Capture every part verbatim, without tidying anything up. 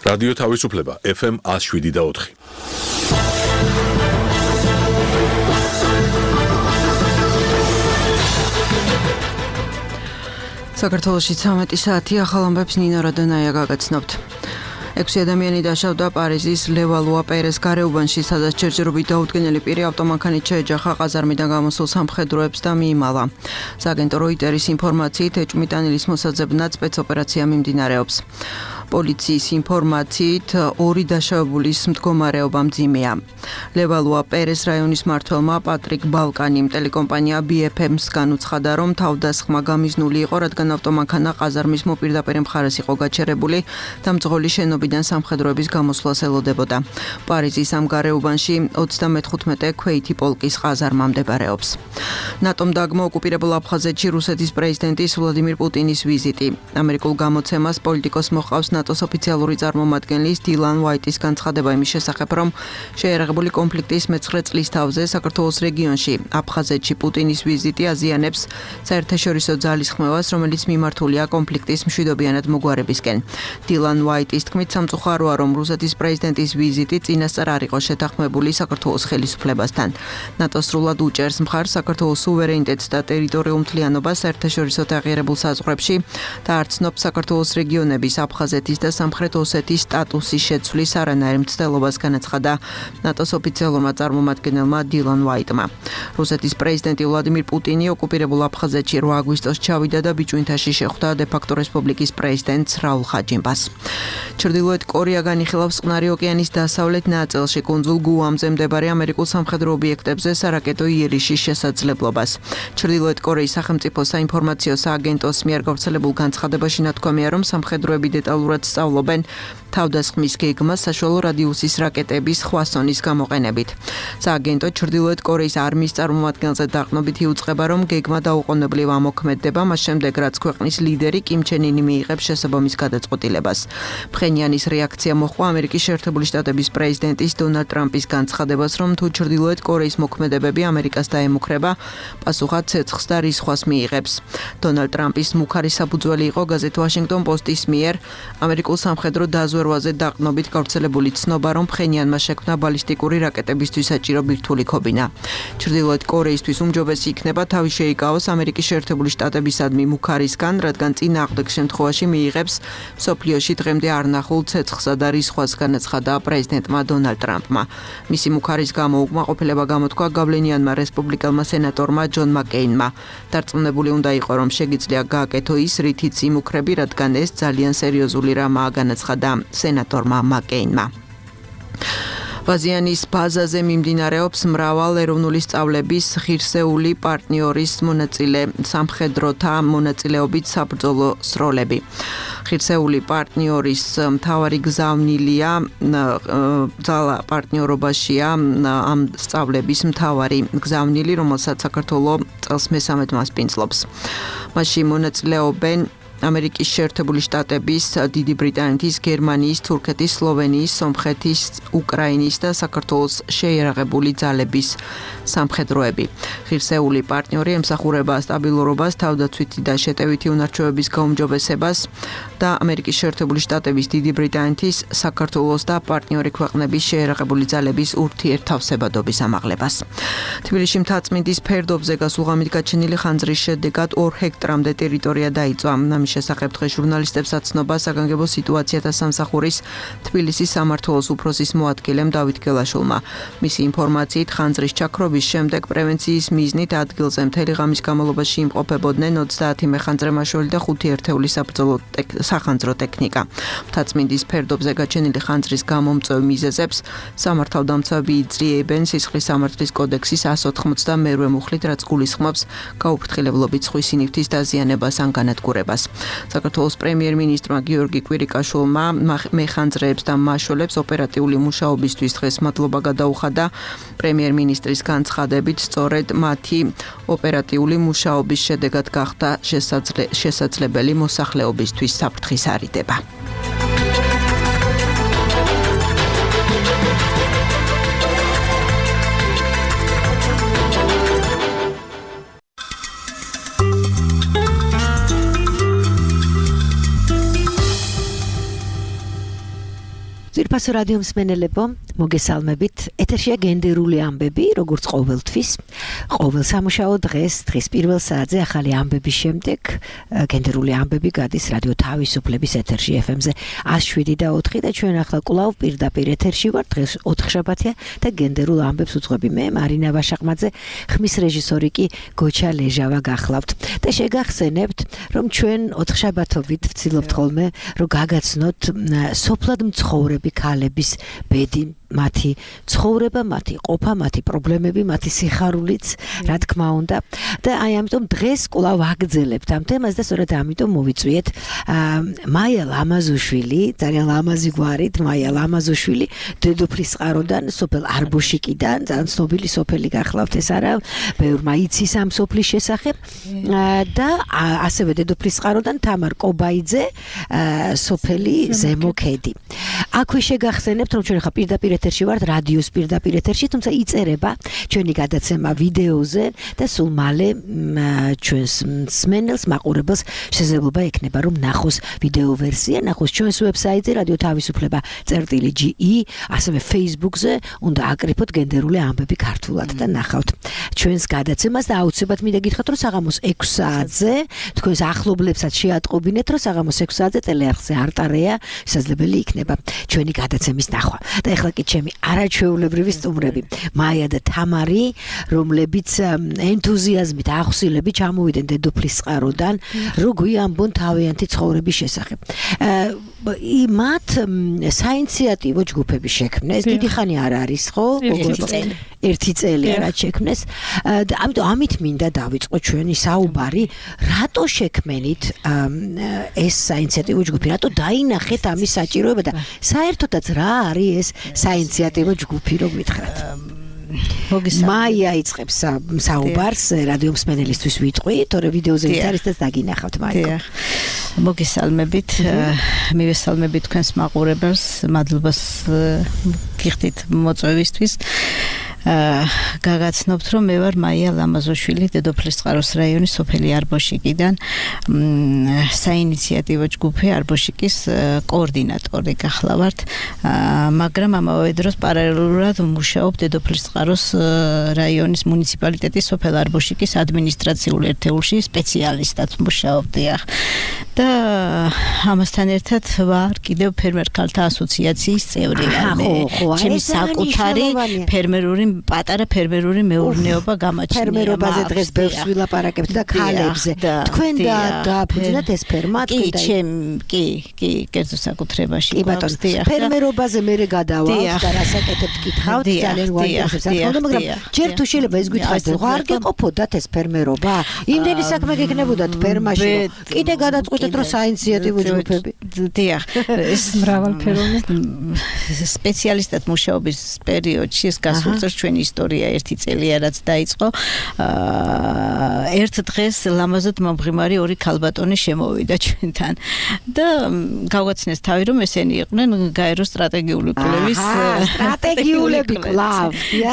რადიო თავისუფლება ეფ ემ one oh seven და four. საქართველოში ცამეტი საათი ახალ ამბებს ნინო რადონაია გაგაცნობთ. ექვსი ადამიანი დაშავდა პარიზის ლევალუა პერეს გარეუბანში, სადაც ჯერჯერობით დაუდგენელი პირი ავტომანქანით შეეჯახა ყაზარმიდან გამოსულ სამხედროებს და მიიმალა. სააგენტო როიტერის ინფორმაციით, ეჭვმიტანილის მოსაძებნად სპეცოპერაცია მიმდინარეობს. პოლიციის ინფორმაციით, ორი დაშავებულის მდგომარეობა მძიმეა. ლევალუა პერეს რაიონის მმართველმა პატრიკ ბალკანიმ ტელეკომპანია ბი ეფ ემს-გან უცხადა, რომ თავდასხმა გამიზნული იყო, რადგან ავტომანქანა ყაზარმის მოპირდაპირ მხარეს იყო გაჩერებული და მძღოლი შენობიდან სამხედროების გამოსვლას ელოდებოდა. პარიზის ამ გარეუბანში ოცდამეთხუთმეტე ქვეითი პოლკის ყაზარმა მდებარეობს. ნატომ დაგმო ოკუპირებულ აფხაზეთში რუსეთის პრეზიდენტის ვლადიმირ პუტინის ვიზიტი. ამერიკულ გამოცემას პოლიტიკოს მოჰყავს ნატოს ოფიციალური წარმომადგენლის დილან ვაიტის განცხადება იმის შესახებ, რომ შეერაღებული კონფლიქტის მეცხრე წლის თავზე საქართველოს რეგიონში, აფხაზეთში პუტინის ვიზიტი აზიანებს საერთაშორისო ძალისხმევას, რომელიც მიმართულია კონფლიქტის მშვიდობიანად მოგვარებისკენ. დილან ვაიტის თქმით, სამწუხაროა, რომ რუსეთის პრეზიდენტის ვიზიტი წინასწარ არ იყო შეთანხმებული საქართველოს ხელისუფლებასთან. ნატო სრულად უჭერს მხარს საქართველოს სუვერენიტეტს და ტერიტორიულ მთლიანობას საერთაშორისო აღიარებულ საზღვრებში და არ ცნობს საქართველოს რეგიონების აფხაზეთის და სამხრეთ ოსეთის სტატუსის შეცვლის არანაირ მცდელობას, განაცხადა ნატოს ოფიციალურმა წარმომადგენელმა დილან ვაიტმა. რუსეთის პრეზიდენტი ვლადიმირ პუტინი ოკუპირებულ აფხაზეთში რვა აგვისტოს ჩავიდა და ბიჭვინთაში შეხვდა დე-ფაქტო რესპუბლიკის პრეზიდენტს რაულ ხაჯიმბას. ჩრდილოეთ კორეა განიხილავს წყნარი ოკეანის დასავლეთ ნაწილში კუნძულ გუამზე მდებარე ამერიკულ სამხედრო ობიექტებზე სარაკეტო იერიშის შესაძლებლობას. ჩრდილოეთ კორეის სახელმწიფო საინფორმაციო სააგენტოს მიერ გავრცელებულ განცხადებაში ნათქვამია, რომ სამხედროები დეტალურად სწავლობენ თავდასხმის გეგმას საშუალო რადიუსის რაკეტების ხვასონის გამოყენებით. სააგენტო ჩრდილოეთ კორეის არმიის წარმომადგენელზე დაყრდნობით იუწყება, რომ გეგმა დაუყოვნებლივ ამოქმედდება, მას შემდეგ რაც ქვეყნის ლიდერი კიმ ჩენ ინი მიიღებს შესაბამის გადაწყვეტილებას. ფხენიანის რეაქცია მოჰყვა ამერიკის შეერთებული შტატების პრეზიდენტის დონალდ ტრამპის განცხადებას, რომ თუ ჩრდილოეთ კორეის მოქმედებები ამერიკას დაემუქრება, პასუხად ცეცხლს და რისხვას მიიღებს. დონალდ ტრამპის მუქარი საფუძველი იყო გაზეთ ვაშინგტონ პოსტის მიერ ამერიკულ სამხედრო დაზვერვაზე დაყრდნობით გავრცელებული ცნობა, რომ ფხენიანმა შექმნა ბალისტიკური რაკეტებისთვის საჭირო ბირთვული ქობინა. ჩრდილოეთ კორეისთვის უმჯობესი იქნება თავი შეიკავოს ამერიკის შეერთებული შტატებისადმი მუქარისგან, რადგან წინააღმდეგ შემთხვევაში მიიღებს მსოფლიოში დღემდე არ ნახულ ცეცხლსა და რისხვას, განაცხადა პრეზიდენტმა დონალდ ტრამპმა. მისი მუქარის გამო უკმაყოფილება გამოთქვა გავლენიანმა რესპუბლიკელმა სენატორმა ჯონ მაკეინმა. დარწმუნებული უნდა იყო, რომ შეგიძლია გააკეთო ის, რითიც იმუქრები, რადგან ეს ძალიან სერიოზული რამაა, განაცხადა სენატორმა მაკეინმა. ბაზიანის ბაზაზე მიმდინარეობს მრავალ ეროვნული სწავლების ღირსეული პარტნიორის მონაწილე სამხედროთა მონაწილეობით საბრძოლო სროლები. ღირსეული პარტნიორის მთავარი გზავნილია ძალა პარტნიორობაშია ამ სწავლების მთავარი გზავნილი, რომელსაც საქართველოს წელს მესამედ მასპინძლობს. მასში მონაწილეობენ ამერიკის შეერთებული შტატების, დიდი ბრიტანეთის, გერმანიის, თურქეთის, სლოვენიის, სომხეთის, უკრაინის და საქართველოს შეიარაღებული ძალების სამხედროები. ღირსეული პარტნიორი ემსახურება სტაბილურობას, თავდაცვითი და შეტევითი უნარჩვევების გაუმჯობესებას და ამერიკის შეერთებული შტატების, დიდი ბრიტანეთის, საქართველოს და პარტნიორი ქვეყნების შეიარაღებული ძალების ურთიერთთავსებადობის ამაღლებას. თბილისში მთაწმინდის ფერდობზე გასულ ღამით გაჩენილი ხანძრის შედეგად ორ ჰექტრამდე ტერიტორია დაიწვა. შესახებ დღეს ჟურნალისტებს აცნობა საგანგებო სიტუაციათა სამსახურის თბილისის სამმართველოს უფროსის მოადგილემ დავით გელაშვილმა. მისი ინფორმაციით, ხანძრის ჩაქრობის შემდეგ პრევენციის მიზნით ადგილზე მთელი ღამის განმავლობაში იმყოფებოდნენ ოცდაათი მეხანძრე მაშველი და ხუთი ერთეული საბრძოლო სახანძრო ტექნიკა. მთაწმინდის ფერდობზე გაჩენილი ხანძრის გამომწვევ მიზეზებს სამართალდამცავები იძლიებენ სისხლის სამართლის კოდექსის one ninety-two მუხლით, რაც გულისხმობს გაუფრთხილებლობით სხვის სინივთის დაზიანებას ან განადგურებას. საქართველოს პრემიერ-მინისტრმა გიორგი კვირიკაშვილმა მეხანძრეებს და მაშველებს ოპერატიული მუშაობისთვის დღეს მადლობა გადაუხადა. პრემიერ-მინისტრის განცხადებით, სწორედ მათი ოპერატიული მუშაობის შედეგად გახდა შესაძლებელი მოსახლეობისთვის საფრთხის არიდება. საუფასო რადიო მსმენელებო, მოგესალმებით. ეთერშია გენდერული ამბები, როგორც ყოველთვის. ყოველ სამუშაო დღეს, დღის პირველ საათზე ახალი ამბების შემდეგ გენდერული ამბები გადის რადიო თავისუფლების ეთერში ეფ ემ-ზე one oh seven და ოთხი და ჩვენ ახლა კვლავ პირდაპირ ეთერში ვართ. დღეს ოთხშაბათია და გენდერულ ამბებს უძღვები მე, მარინა ვაშაყმაძე, ხმის რეჟისორი კი გოჩა ლეჟავა გახლავთ. და შეგახსენებთ, რომ ჩვენ ოთხშაბათობით ვცდილობთ ხოლმე, რომ გაგაცნოთ სოფლად მცხოვრები ქალების ბედი, მათი ცხოვრება, მათი ყოფა, მათი პრობლემები, მათი სიხარულიც, რა თქმა უნდა. და აი ამიტომ დღეს კვლავ ვაგრძელებთ ამ თემას და სწორედ ამიტომ მოვიწვიეთ მაია ლამაზუშვილი, ძალიან ლამაზი გვარით, მაია ლამაზუშვილი, დედოფლის წყაროდან, სოფელ არბოშიკიდან, ძალიან ცნობილი სოფელი გახლავთ ეს არა, ბევრმა იცის ამ სოფლის შესახებ და ასევე დედოფლის წყაროდან თამარ კობაიძე, სოფელი ზემო ქედი. აქვე შეგახსენებთ, რომ ჩვენ ხა პირდაპირ ეთერში ვართ, რადიოს პირდაპირ ეთერში, თუმცა იწერება ჩვენი გადაცემა ვიდეოზე და სულ მალე ჩვენს მსმენელს, მაყურებელს შესაძლებლობა ექნება, რომ ნახოს ვიდეო ვერსია, ნახოს ჩვენს ვებსაიტზე რადიო თავისუფლება წერტილი ჯი ი, ასევე Facebook-ზე, უნდა აკრიფოთ გენდერული ამბები ქართულად და ნახავთ ჩვენს გადაცემას და აუცილებლად მინდა გითხრათ, რომ საღამოს ექვს საათზე თქვენს ახლობლებსაც შეატყობინეთ, რომ საღამოს ექვს საათზე ტელეარხზე არტარეა შესაძლებელი იქნება ჩვენი გადაცემის ნახვა. და ეხლა კი ჩემი არაჩვეულებრივი სტუმრები, მაია და თამარი, რომლებიც ენთუზიაზმით, ახსილებით ჩამოვიდნენ დედოფლის წყაროდან, რო გვიამბონ თავიანთი ცხოვრების შესახებ. მათ საინიციატივო ჯგუფები შექმნეს, დიდი ხანი არ არის, ხო? ერთი წელი რაც შექმნეს. და ამიტომ ამით მინდა დავიწყო ჩვენი საუბარი, რატო შექმნით ეს საინიციატივო ჯგუფი, რატო დაინახეთ ამის საჭიროება და საერთოდაც რა არის ეს საინიციატივო ჯგუფი, რო გითხრათ. მაია იწყებს საუბარს, რადიო მსმენელისთვის ვიტყვი, თორე ვიდეოზე ვით არის და დაგინახავთ მაიკო. მოგესალმებით, მივესალმებით თქვენს მაყურებელს, მადლობას გიხდით მოწვევისთვის. გაგაცნობთ, რომ მე ვარ მაია ლამაზოშვილი, დედოფლის წყაროს რაიონის სოფელი არბოშიკიდან, საინიციატივო ჯგუფი არბოშიკის კოორდინატორი გახლავართ, მაგრამ ამავე დროს პარალელურად ვმუშაობ დედოფლის წყაროს რაიონის მუნიციპალიტეტის სოფელ არბოშიკის ადმინისტრაციულ ერთეულში სპეციალისტად ვმუშაობ. და ამასთან ერთად ვარ კიდევ ფერმერ ქალთა ასოციაციის წევრი. ჩემი საკუთარი ფერმერული პატარა ფერმერული მეურნეობა გამაჩნია. ფერმერობაზე დღეს ბევრს ვილაპარაკებთ და ქალებზე. თქვენ და დააფუძნათ ეს ფერმა, კი, ჩემ, კი, კი, კერძო საკუთრებაში. კი ბატონო, ფერმერობაზე მე გადავალთ და რასაკეთებთ გითხავთ, ძალიან უარყოფს საკუთრება, მაგრამ ჯერ თუ შეიძლება ეს გითხარით, რომ არ გეყოფოდათ ეს ფერმერობა? იმდენი საქმე გეკნებოდათ ფერმაში, კიდე გადაწყვეტეთ, რომ საინიციატივო ჯგუფები. დიახ, ეს მრავალფეროვანი სპეციალისტად მუშაობის პერიოდში ეს გასულ წელს ჩვენი ისტორია ერთი წელია რაც დაიწყო. ერთ დღეს ლამაზად მომღიმარი ორი ქალბატონი შემოვიდა ჩვენთან და გავაცნეს თავი, რომ ესენი იყვნენ გაერო სტრატეგიული კვლევის სტრატეგიულები კვლავ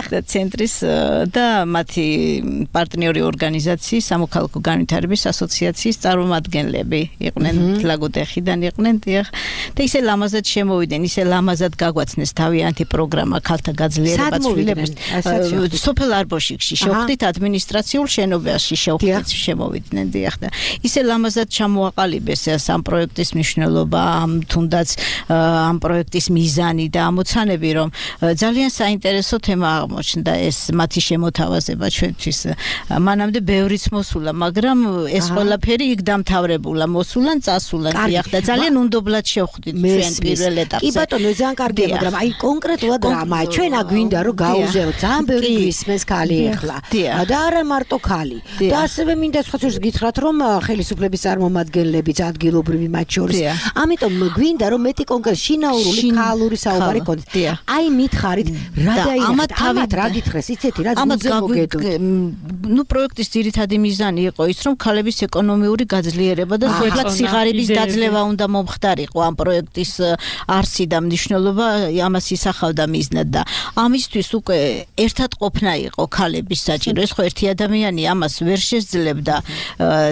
და ცენტრის და მათი პარტნიორი ორგანიზაციის სამოქალაქო განვითარების ასოციაციის წარმომადგენლები იყვნენ, ლაგოდეხიდან იყვნენ. და ისე ლამაზად შემოვიდნენ, ისე ლამაზად გაგვაცნეს თავიანთი პროგრამა ქალთა გაძლიერება ცვლილებებს. სოფელ არბოშიკში შევხვდით ადმინისტრაციულ შენობაში შევხვდით შემოვიდნენ დიახ და ისე ლამაზად ჩამოაყალიბეს ამ პროექტის მნიშვნელობა, ამ თუნდაც ამ პროექტის მიზანი და ამოცანები, რომ ძალიან საინტერესო თემა აღმოჩნდა ეს მათი შემოთავაზება ჩვენთვის. მანამდე ბევრიც მოსულა, მაგრამ ეს ყველაფერი იქ დამთავრებულა, მოსულან, წასულან დიახ და ძალიან უნდობლად შევხვდით ჩვენ პირველ ეტაპზე. კი ბატონო, ძალიან კარგია, მაგრამ აი კონკრეტულად რამა ჩვენ აგვინდა რომ გაუზეოთ ძალიან ბევრი გვისმენს ქალი ეხლა და არა მარტო ქალი და ასევე მინდა სხვა შორის გითხრათ რომ ხელისუფლების წარმომადგენლებიც ადგილობრივი მათ შორის ამიტომ გვინდა რომ მეტი კონკრეტ შინაურული ქალური საუბარი კონდეს. აი მითხარით რა დაინახეთ ამათ რა გითხრეს იცეთი რა ძმოზე მოგედოთ. ნუ პროექტის ძირითადი მიზანი იყო ის რომ ქალების ეკონომიური გაძლიერება და სოფლად სიღარიბის დაძლევა უნდა მომხდარიყო ამ პროექტის არსი და მნიშვნელობა ამას ისახავდა მიზნად და ამისთვის უკვე ერთად ყოფნა იყო ქალების საჭირო. ეს ხო ერთი ადამიანი ამას ვერ შეძლებდა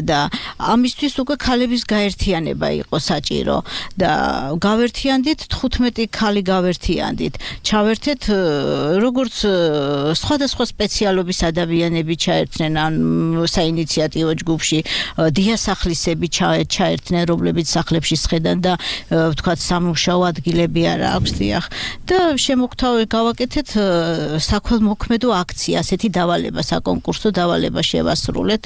და ამისთვის უკვე ქალების გაერთიანება იყო საჭირო და გავერთიანდით თხუთმეტი ქალი გავერთიანდით. ჩავერთეთ როგორც სხვადასხვა სპეციალობის ადამიანები ჩაერთნენ ან საინიციატივო ჯგუფში დიასახლისები ჩაერთნენ, რომლებიც სახლებში სხედან და ვთქვათ სამუშაო ადგილები არა აქვს დიახ და შემოგთავაზეთ გავაკეთეთ საქველმოქმედო აქცია, ასეთი დავალება, საკონკურსო დავალება შევასრულეთ.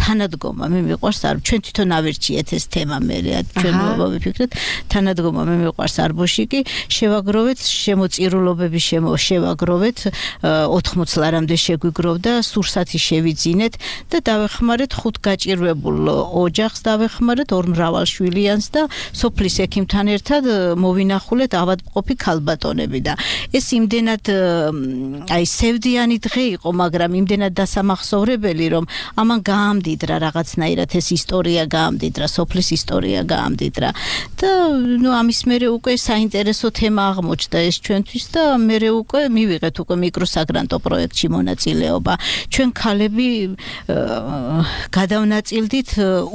თანადგომა მე მიყვარს არ ჩვენ თვითონ ავირჩიეთ ეს თემა მე ჩვენ მოვიფიქრეთ თანადგომა მე მიყვარს არბოშიკი შევაგროვეთ შემოწირულობები შევაგროვეთ ოთხმოც ლარამდე შეგვიგროვდა სურსათი შევიძინეთ და დავეხმარეთ ხუთ გაჭირვებულ ოჯახს დავეხმარეთ ორ მრავალშვილიანს და სოფლის ექიმთან ერთად მოვინახულეთ ავადმყოფი ქალბატონები და ეს იმდენად აი სევდიანი დღე იყო მაგრამ იმდენად დასამახსოვრებელი რომ ამან გაამდიდრა რაღაცნაირად ეს ისტორია გაამდიდრა სოფლის ისტორია გაამდიდრა და ნუ ამის მერე უკვე საინტერესო თემა აღმოჩნდა ეს ჩვენთვის და მერე უკვე მივიღეთ უკვე მიკროსაგრანტო პროექტში მონაწილეობა ჩვენ ქალები გადავნაწილდით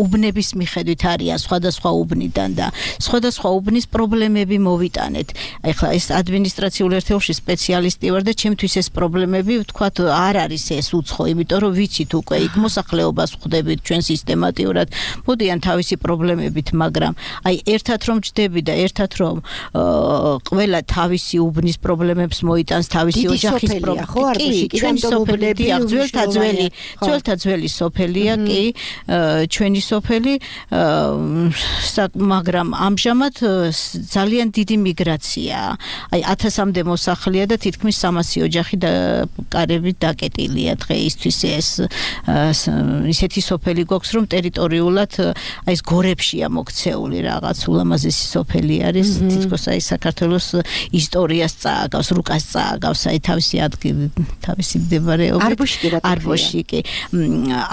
უბნების მიხედვით არიან სხვადასხვა უბნიდან და სხვადასხვა უბნის პრობლემები მოვიტანეთ აი ხლა ეს ადმინისტრაციულ ერთეულში სპეციალისტი ვარ და ჩემთვის ეს პრობლემები ვთქვათ არ არის ეს უცხო იმიტომ რომ ვიცით უკვე იქ მოსახლეობას ხვდებით ჩვენ სისტემატიურად მოდიან თავისი პრობლემებით მაგრამ აი ერთად რომ ჯდები და ერთად რომ ყველა თავისი უბნის პრობლემებს მოიტანს თავისი ოჯახის პრობლემები კი ჩვენი სოფელი ძველთა ძველი ძველთა ძველი სოფელია კი ჩვენი სოფელი მაგრამ ამჟამად ძალიან დიდი მიგრაციაა აი ათასამდე მოსახლეა და თითქმის სამასი ოჯახი და კარებით დაკეტილია დღეისთვის ეს ისეთი სოფელი გვაქვს რომ ტერიტორიულად აი ეს გორებშია მოქცეული რაღაც ულამაზესი სოფელი არის თითქოს აი საქართველოს ისტორიას წააგავს რუკას წააგავს აი თავისი ადგილი თავისი მდებარეობით არბოშიკი რა არბოშიკი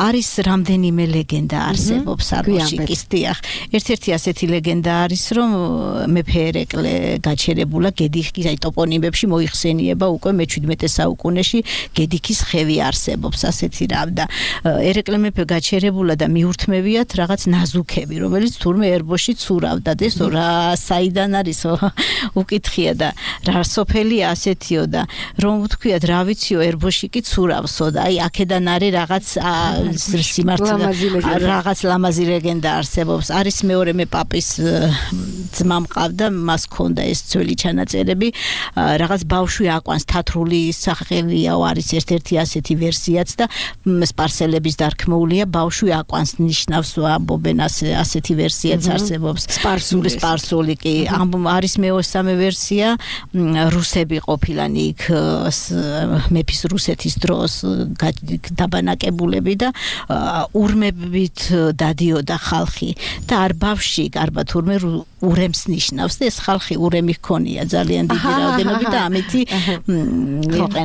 არის რამდენიმე ლეგენდა არსებობს არბოშიკის დიახ ერთ-ერთი ასეთი ლეგენდა არის რომ მეფე ერეკლე გაჩერებულა გედიხის აი ტოპონიმებში მოიხსენიება უკვე მეჩვიდმეტე საუკუნეში გედიქის ხევი არსებობს ასეთი რამ და ერეკლე მეფე გაჩერებულა და მიურთმევიათ რაღაც ნაზუქები რომელიც თურმე ერბოში ცურავდა და ესო რა საიდან არის უკითხია და რა სოფელია ასეთიო და რომ ვთქვიათ რა ვიციო ერბოში კი ცურავსო და აი აქედან არის რაღაც სიმართლე რაღაც ლამაზი ლეგენდა არსებობს არის მეორე მე პაპის ძმა მყავდა მას ქონდა ეს ძველი ჩანაწერები რაღაც ბავშვი აკვანს თათრული სახელიაო არის ერთ-ერთი ასეთი ვერსიაც და სპარსელების დარქმეულია ბავშვი აკვანს ნიშნავს ამბობენ ასეთი ვერსიაც არსებობს სპარსული სპარსული კი არის მეოსამე ვერსია რუსები ყოფილან იქ მეფის რუსეთის დროს დაბანაკებულები და ურმებით დადიოდა ხალხი და არ ბავში გარბა თურმე ურემს ნიშნავს და ეს ხალხი ურემი ჰქონია ძალიან დიდი რაოდენობით და ამითი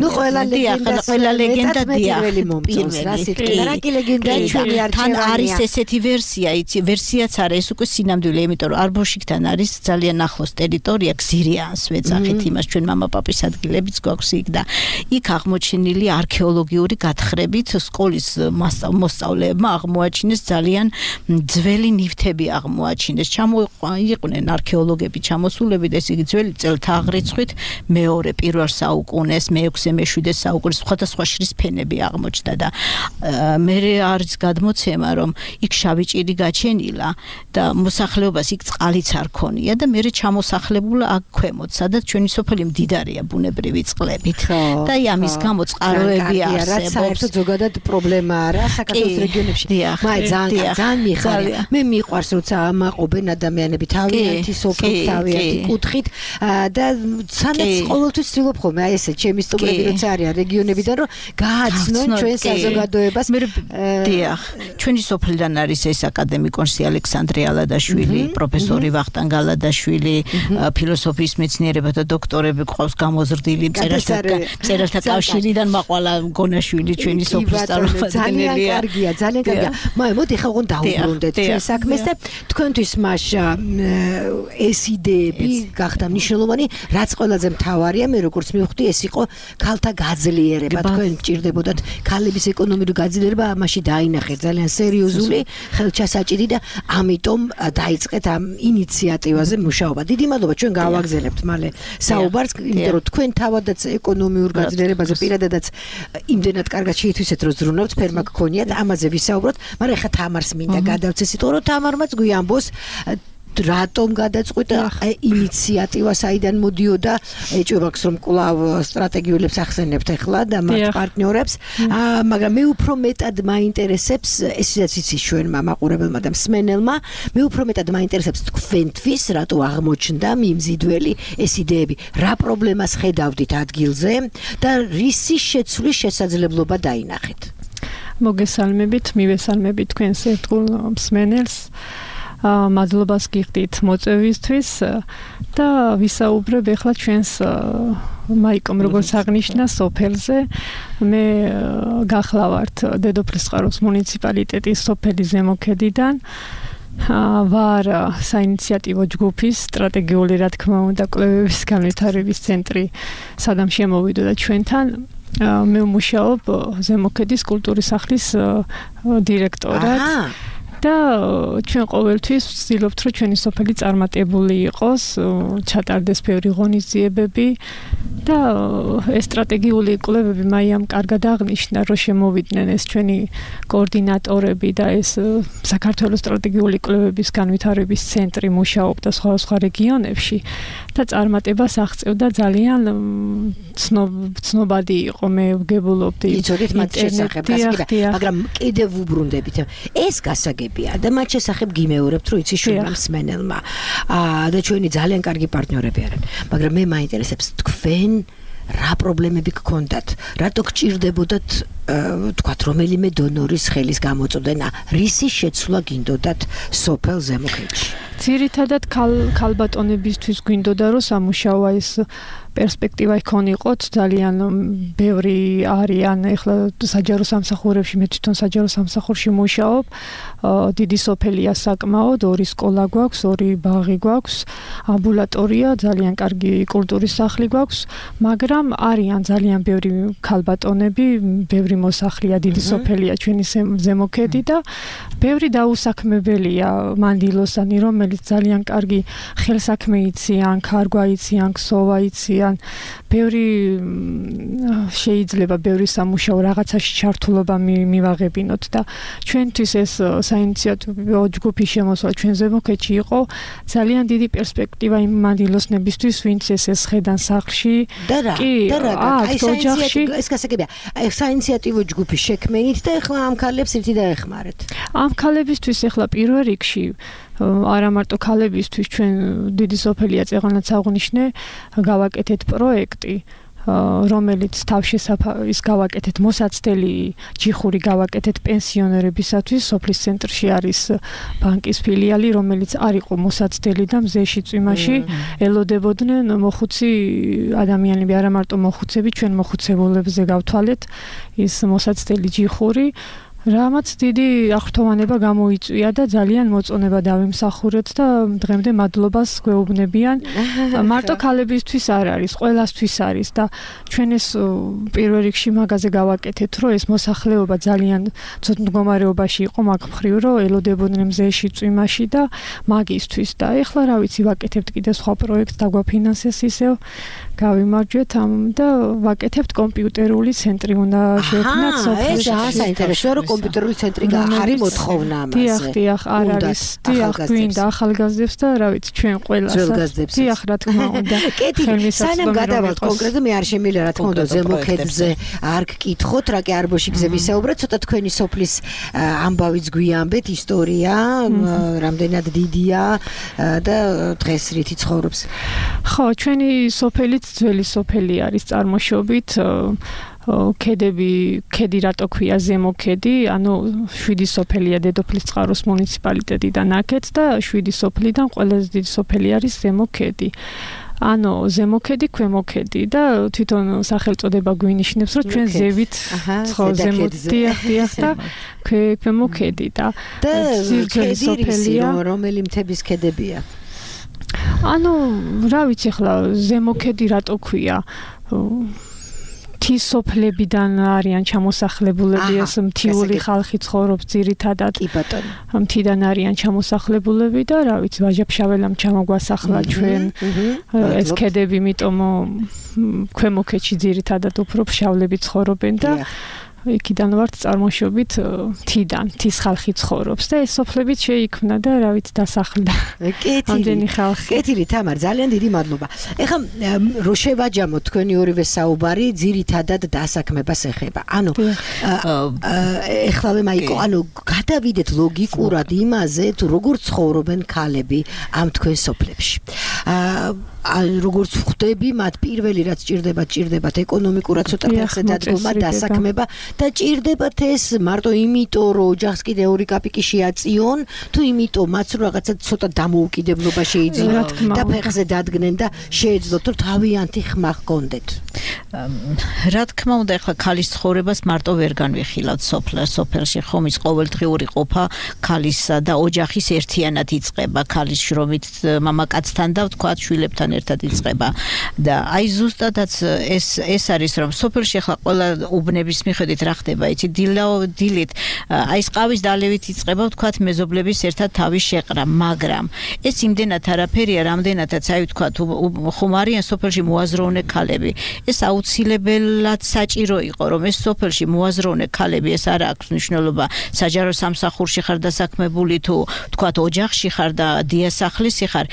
ნუ ყველა ლეგენდა ყველა ლეგენდა პირველი მომწონს რა სიტყვა რა კი ლეგენდა ჩვენი არჩევანია თან არის ესეთი ვერსია იცი ვერსიაც არა ეს უკვე სინამდვილე იმიტომ რომ არბოშიკთან არის ძალიან ახლოს ტერიტორია გზირიანს ვეძახით იმას ჩვენ მამაპაპის ადგილებიც გვაქვს იქ და იქ აღმოჩენილი არქეოლოგიური გათხრებით სკოლის მოსწავლეებმა აღმოაჩინეს ძალიან ძველი ნივთები აღმოაჩინეს ჩამოიყვნენ არქეოლოგები ჩამოსულები და ეს იგი ძველი წელთა აღრიცხვით მეორე პირველ საუკუნეს მეექვსე მეშვიდე საუკუნის სხვადასხვა შრის ფენები აღმოჩნდა და მე არის გადმოცემა რომ იქ შავი ჭირი გაჩენილა და მოსახლეობას იქ წყალიც არ ქონია და მე ჩამოსახლებულა აქ ქვემოთ სადაც ჩვენი სოფელი მდიდარია ბუნებრივი წყლებით და აი ამის გამო წყაროები არსებობს საერთოდ ზოგადად პრობლემა არა საქართველოს რეგიონებში მაი ძალიან ძალიან მიხარია მე მიყვარს როცა ამაყობენ ადამიანები თავიანთი სოფლის თავიანთი კუთხით და სანაც ყოველთვის ვცდილობ ხოლმე აი ესე ჩემი სტუმრები როცა არიან რეგიონებიდან რომ გააცნონ ჩვენ საზოგადოებას დიახ ჩვენი სოფლიდან არის ეს აკადემიკოსი ალექსანდრე ალადაშვილი პროფესორი ვახტანგ ალადაშვილი ფილოსოფიის მეცნიერებათა დოქტორები ყავს გამოზრდილი მწერალთა კავშირიდან მაყვალა გონაშვილი ჩვენი სოფლის ძალიან წარმომადგენელია კარგია ძალიან კარგია მაი მოდი ხა უგონ დაუბრუნდეთ ჩვენ საქმეს და თქვენთვის მაშა ეს იდეები გახდა მნიშვნელოვანი რაც ყველაზე მთავარია მე როგორც მივხვდი ეს იყო ქალთა გაძლიერება, თქვენ გჭირდებოდათ ქალების ეკონომიკური გაძლიერება, ამაში დაინახეთ ძალიან სერიოზული ხელჩასაჭირი და ამიტომ დაიწყეთ ამ ინიციატივაზე მუშაობა. დიდი მადლობა, ჩვენ გავაგზავნებთ მალე საუბარს, იმიტომ რომ თქვენ თავადაც ეკონომიურ გაძლიერებაზე პირადადაც იმდენად კარგად შეითვისეთ, რომ ზრუნავთ, ფერმა გქონიათ, ამაზე ვისაუბროთ, მაგრამ ეხლა თამარს მინდა გადავცე სიტყვა, რომ თამარმაც გვიამბოს რატომ გადაწყვიტა ინიციატივა საიდან მოდიოდა ეჭვებაქს რომ კვლავ სტრატეგიულებს ახსენებთ ახლა და მათ პარტნიორებს მაგრამ მე უფრო მეტად მაინტერესებს ესაც იცი ჩვენმა მაყურებელმა და მსმენელმა მე უფრო მეტად მაინტერესებს თქვენთვის რატო აღმოჩნდა მიმზიდველი ეს იდეები რა პრობლემას ხედავდით ადგილზე და რისი შეცვლის შესაძლებლობა დაინახეთ მოგესალმებით მივესალმებით თქვენს ერთგულ მსმენელს მადლობას გიხდით მოწვევისთვის და ვისაუბრებ ახლა ჩვენს მაიკომ როგორც აღნიშნა სოფელზე მე გახლავართ დედოფლისწყაროს მუნიციპალიტეტის სოფელი ზემოქედიდან ვარ საინიციატივო ჯგუფის სტრატეგიული რა თქმა უნდა კვლევების განვითარების ცენტრი სადამ შემოვიდოდა ჩვენთან მე ვმუშაობ ზემოქედის კულტურის სახლის დირექტორად და ჩვენ ყოველთვის ვცდილობთ რომ ჩვენი სოფელი წარმატებული იყოს, ჩატარდეს ბევრი ღონისძიებები და ეს სტრატეგიული კვლევები მაიამ კარგად აღნიშნა რომ შემოვიდნენ ეს ჩვენი კოორდინატორები და ეს საქართველოს სტრატეგიული კვლევების განვითარების ცენტრი მუშაობდა სხვადასხვა რეგიონებში და წარმატებას აღწევდა ძალიან ცნობადი იყო მე ვგებულობდი იცოდით მათ შესახებ მაგრამ კიდევ ვუბრუნდებით ეს გასაგებია და მათ შესახებ გიმეორებთ რომ იცი შუა მსმენელმა და ჩვენი ძალიან კარგი პარტნიორები არიან მაგრამ მე მაინტერესებს თქვენ რა პრობლემები გქონდათ რატო გჭირდებოდათ თქვათ რომელიმე დონორის ხელის გამოწოდენა რისი შეცვლა გინდოდათ სოფელ ზემოქედში ძირითადად ქალბატონებისთვის გვინდოდა რომ სამუშაო ეს პერსპექტივა იქონიყოთ ძალიან ბევრი არიან ეხლა საჯარო სამსახურებში მე თვითონ საჯარო სამსახურში მუშაობ დიდი სოფელია საკმაოდ ორი სკოლა გვაქვს ორი ბაღი გვაქვს ამბულატორია ძალიან კარგი კულტურის სახლი გვაქვს მაგრამ არიან ძალიან ბევრი ქალბატონები ბევრი მოსახლეა დიდი სოფელია ჩვენი ზემოქედი და ბევრი დაუსაქმებელია მანდილოსანი რომელიც ძალიან კარგი ხელსაქმე იციან ქარგვა იციან ქსოვა იციან ბევრი შეიძლება ბევრი სამუშაო რაღაცაში ჩართულობა მივაღებინოთ და ჩვენთვის ეს საინიციატივო ჯგუფის შემოსვლა ჩვენ ზემოქედში იყო ძალიან დიდი პერსპექტივა იმ მანდილოსნებისთვის ვინც ეს ხედან სახლში და რა და რა აი საინიციატივო ეს გასაგებია საინიციატივო ჯგუფის შექმნით და ახლა ამ ქალებს ერთი დაეხმარეთ ამ ქალებისთვის ახლა პირველ რიგში არა მარტო ქალებისთვის ჩვენ დიდი სოფელია წეღანაც აღნიშნე გავაკეთეთ პროექტი რომელიც თავშესაფრის გავაკეთეთ მოსაცდელი ჯიხური გავაკეთეთ პენსიონერებისათვის სოფლის ცენტრში არის ბანკის ფილიალი რომელიც არ იყო მოსაცდელი და მზეში წვიმაში ელოდებოდნენ მოხუცი ადამიანები არა მარტო მოხუცები ჩვენ მოხუცებულებზე გავთვალეთ ის მოსაცდელი ჯიხური რამაც დიდი აღრთოვანება გამოიწვია და ძალიან მოწონება დავიმსახურეთ და დღემდე მადლობას გვეუბნებიან. მარტო ქალებისთვის არ არის, ყველასთვის არის და ჩვენ ეს პირველ რიგში მაგაზე გავაკეთეთ, რომ ეს მოსახლეობა ძალიან ცუდ მდგომარეობაში იყო მაგ მხრივ, რომ ელოდებოდნენ მზეში წვიმაში და მაგისთვის და ეხლა რა ვიცი ვაკეთებთ კიდე სხვა პროექტს დაგვაფინანსეს ისევ გავიმარჯვეთ ამ და ვაკეთებთ კომპიუტერული ცენტრი უნდა შევქმნათ სოფელში. ეს საინტერესოა რომ კომპიუტერული ცენტრი არის მოთხოვნა ამაზე. დიახ, დიახ, არ არის. დიახ, გვინდა ახალგაზრდებს და რა ვიცი, ჩვენ ყველასაც. დიახ, რა თქმა უნდა. კეთი, სანამ გადავალთ კონკრეტულად მე არ შემიძლია რა თქმა უნდა ზემოქედზე არ გკითხოთ, რა კი არბოშიგზე ვისაუბრეთ, ცოტა თქვენი სოფლის ამბავიც გვიამბეთ, ისტორია, რამდენად დიდია და დღეს რითი ცხოვრობს. ხო, ჩვენი სოფელი ძველი სოფელი არის წარმოშობით ქედები, ქედი რატო ქვია ზემოქედი, ანუ შვიდი სოფელია დედოფლისწყაროს მუნიციპალიტეტიდან აქეთ და შვიდი სოფლიდან ყველაზე დიდი სოფელი არის ზემოქედი. ანუ ზემოქედი, ქვემოქედი და თვითონ სახელწოდება გვინიშნებს, რომ ჩვენ ზევით ზემოდიახ და ქვემოქედი და ძველი სოფელია, რომელი მთების ქედებია. ანუ რა ვიცი ახლა ზემოქედი რატო ქვია მთის სოფლებიდან არიან ჩამოსახლებულები, ეს მთიული ხალხი ცხოვრობს ძირითადად. კი ბატონო. მთიდან არიან ჩამოსახლებულები და რა ვიცი, ვაჟა-ფშაველამ ჩამოგვასახლა ჩვენ ეს ქედები, იმიტომ ქვემოქედში ძირითადად უფრო ფშავლები ცხოვრობენ და იქიდან ვართ წარმოშობით მთიდან, მთის ხალხი ცხოვრობს და ეს სოფლებიც შეიქმნა და რა ვიცი დასახლდა. ამდენი ხალხი. კეთილი თამარ, ძალიან დიდი მადლობა. ეხლა რო შევაჯამოთ თქვენი ორივე საუბარი, ძირითადად დასაქმებას ეხება. ანუ ეხლავე მაიკო, ანუ გადავიდეთ ლოგიკურად იმაზე, თუ როგორ ცხოვრობენ ქალები ამ თქვენ სოფლებში. როგორც ხვდები, მათ პირველი რაც ჭირდება, ჭირდებათ ეკონომიკურად ცოტა ფეხზე დადგომა, დასაქმება და ჭირდებათ ეს მარტო იმიტომ, რომ ოჯახს კიდე ორი კაპიკი შეაწიონ, თუ იმიტომ, მას რომ რაღაცა ცოტა დამოუკიდებლობა შეიძინოთ და ფეხზე დადგნენ და შეეძლოთ, რომ თავიანთი ხმა ჰქონდეთ. რა თქმა უნდა, ახლა ქალის ცხოვრებას მარტო ვერ განვიხილავთ სოფელში, ხომ ის ყოველდღიური ყოფა ქალისა და ოჯახის ერთიანად იწყება, ქალის შრომით მამაკაცთან და ვთქვათ შვილებთან ერთად იწყება და აი ზუსტადაც ეს ეს არის რომ სოფელში ახლა ყველა უბნების მიხედვით რა ხდება იცი დილით აი ეს ყავის დალევით იწყება ვთქვათ მეზობლების ერთად თავის შეყრა მაგრამ ეს იმდენად არაფერია რამდენადაც აი ვთქვათ ხუმარიან სოფელში მოაზროვნე ქალები ეს აუცილებლად საჭირო იყო რომ ეს სოფელში მოაზროვნე ქალები ეს არ აქვს მნიშვნელობა საჯარო სამსახურში ხარ დასაქმებული თუ ვთქვათ ოჯახში ხარ და დიასახლისი ხარ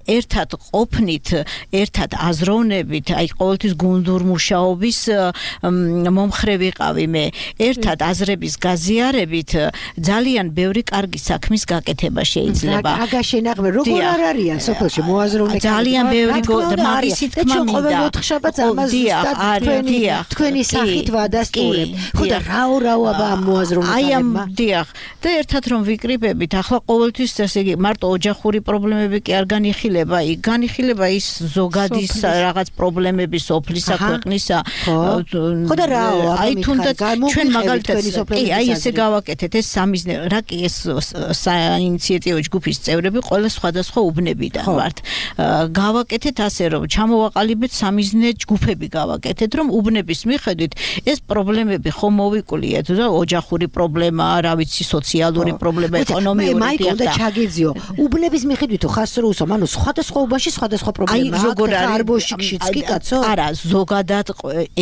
ერთად ყოფნით ერთად აზროვნებით აი ყოველთვის გუნდურ მუშაობის მომხრე ვიყავი მე ერთად აზრების გაზიარებით ძალიან ბევრი კარგი საქმის გაკეთება შეიძლება აგა შენაღმე როგორ არ არიან სოფელში მოაზროვნე ძალიან ბევრი მაგისით თქმა მინდა ოთხშაბათს ამას თქვენი თქვენი სახით ვადასტურებ ხო და რაო რაო აბა მოაზროვნე აი ამ დიახ და ერთად რომ ვიკრიბებით ახლა ყოველთვის ესე იგი მარტო ოჯახური პრობლემები კი არ განიხილება იქ განიხილება ის ზოგადის რაღაც პრობლემები სოფლისა ქვეყნისა ხო და რაო აი თუნდაც ჩვენ მაგალითად კი აი ესე გავაკეთეთ ეს სამიზნე რა კი ეს საინიციატივო ჯგუფის წევრები ყველა სხვადასხვა უბნებიდან ვართ გავაკეთეთ ასე რომ ჩამოვაყალიბეთ სამიზნე ჯგუფები გავაკეთეთ რომ უბნების მიხედვით ეს პრობლემები ხომ მოვიკულიეთ და ოჯახური პრობლემა რა ვიცი სოციალური პრობლემა ეკონომიური მაიკო და ჩაგეძიო უბნების მიხედვით ხას რო უსო ანუ სხვადასხვა უბანში სხვადასხვა პრობლემაა როგორ არის არბოშიკშიც კი კაცო არა ზოგადად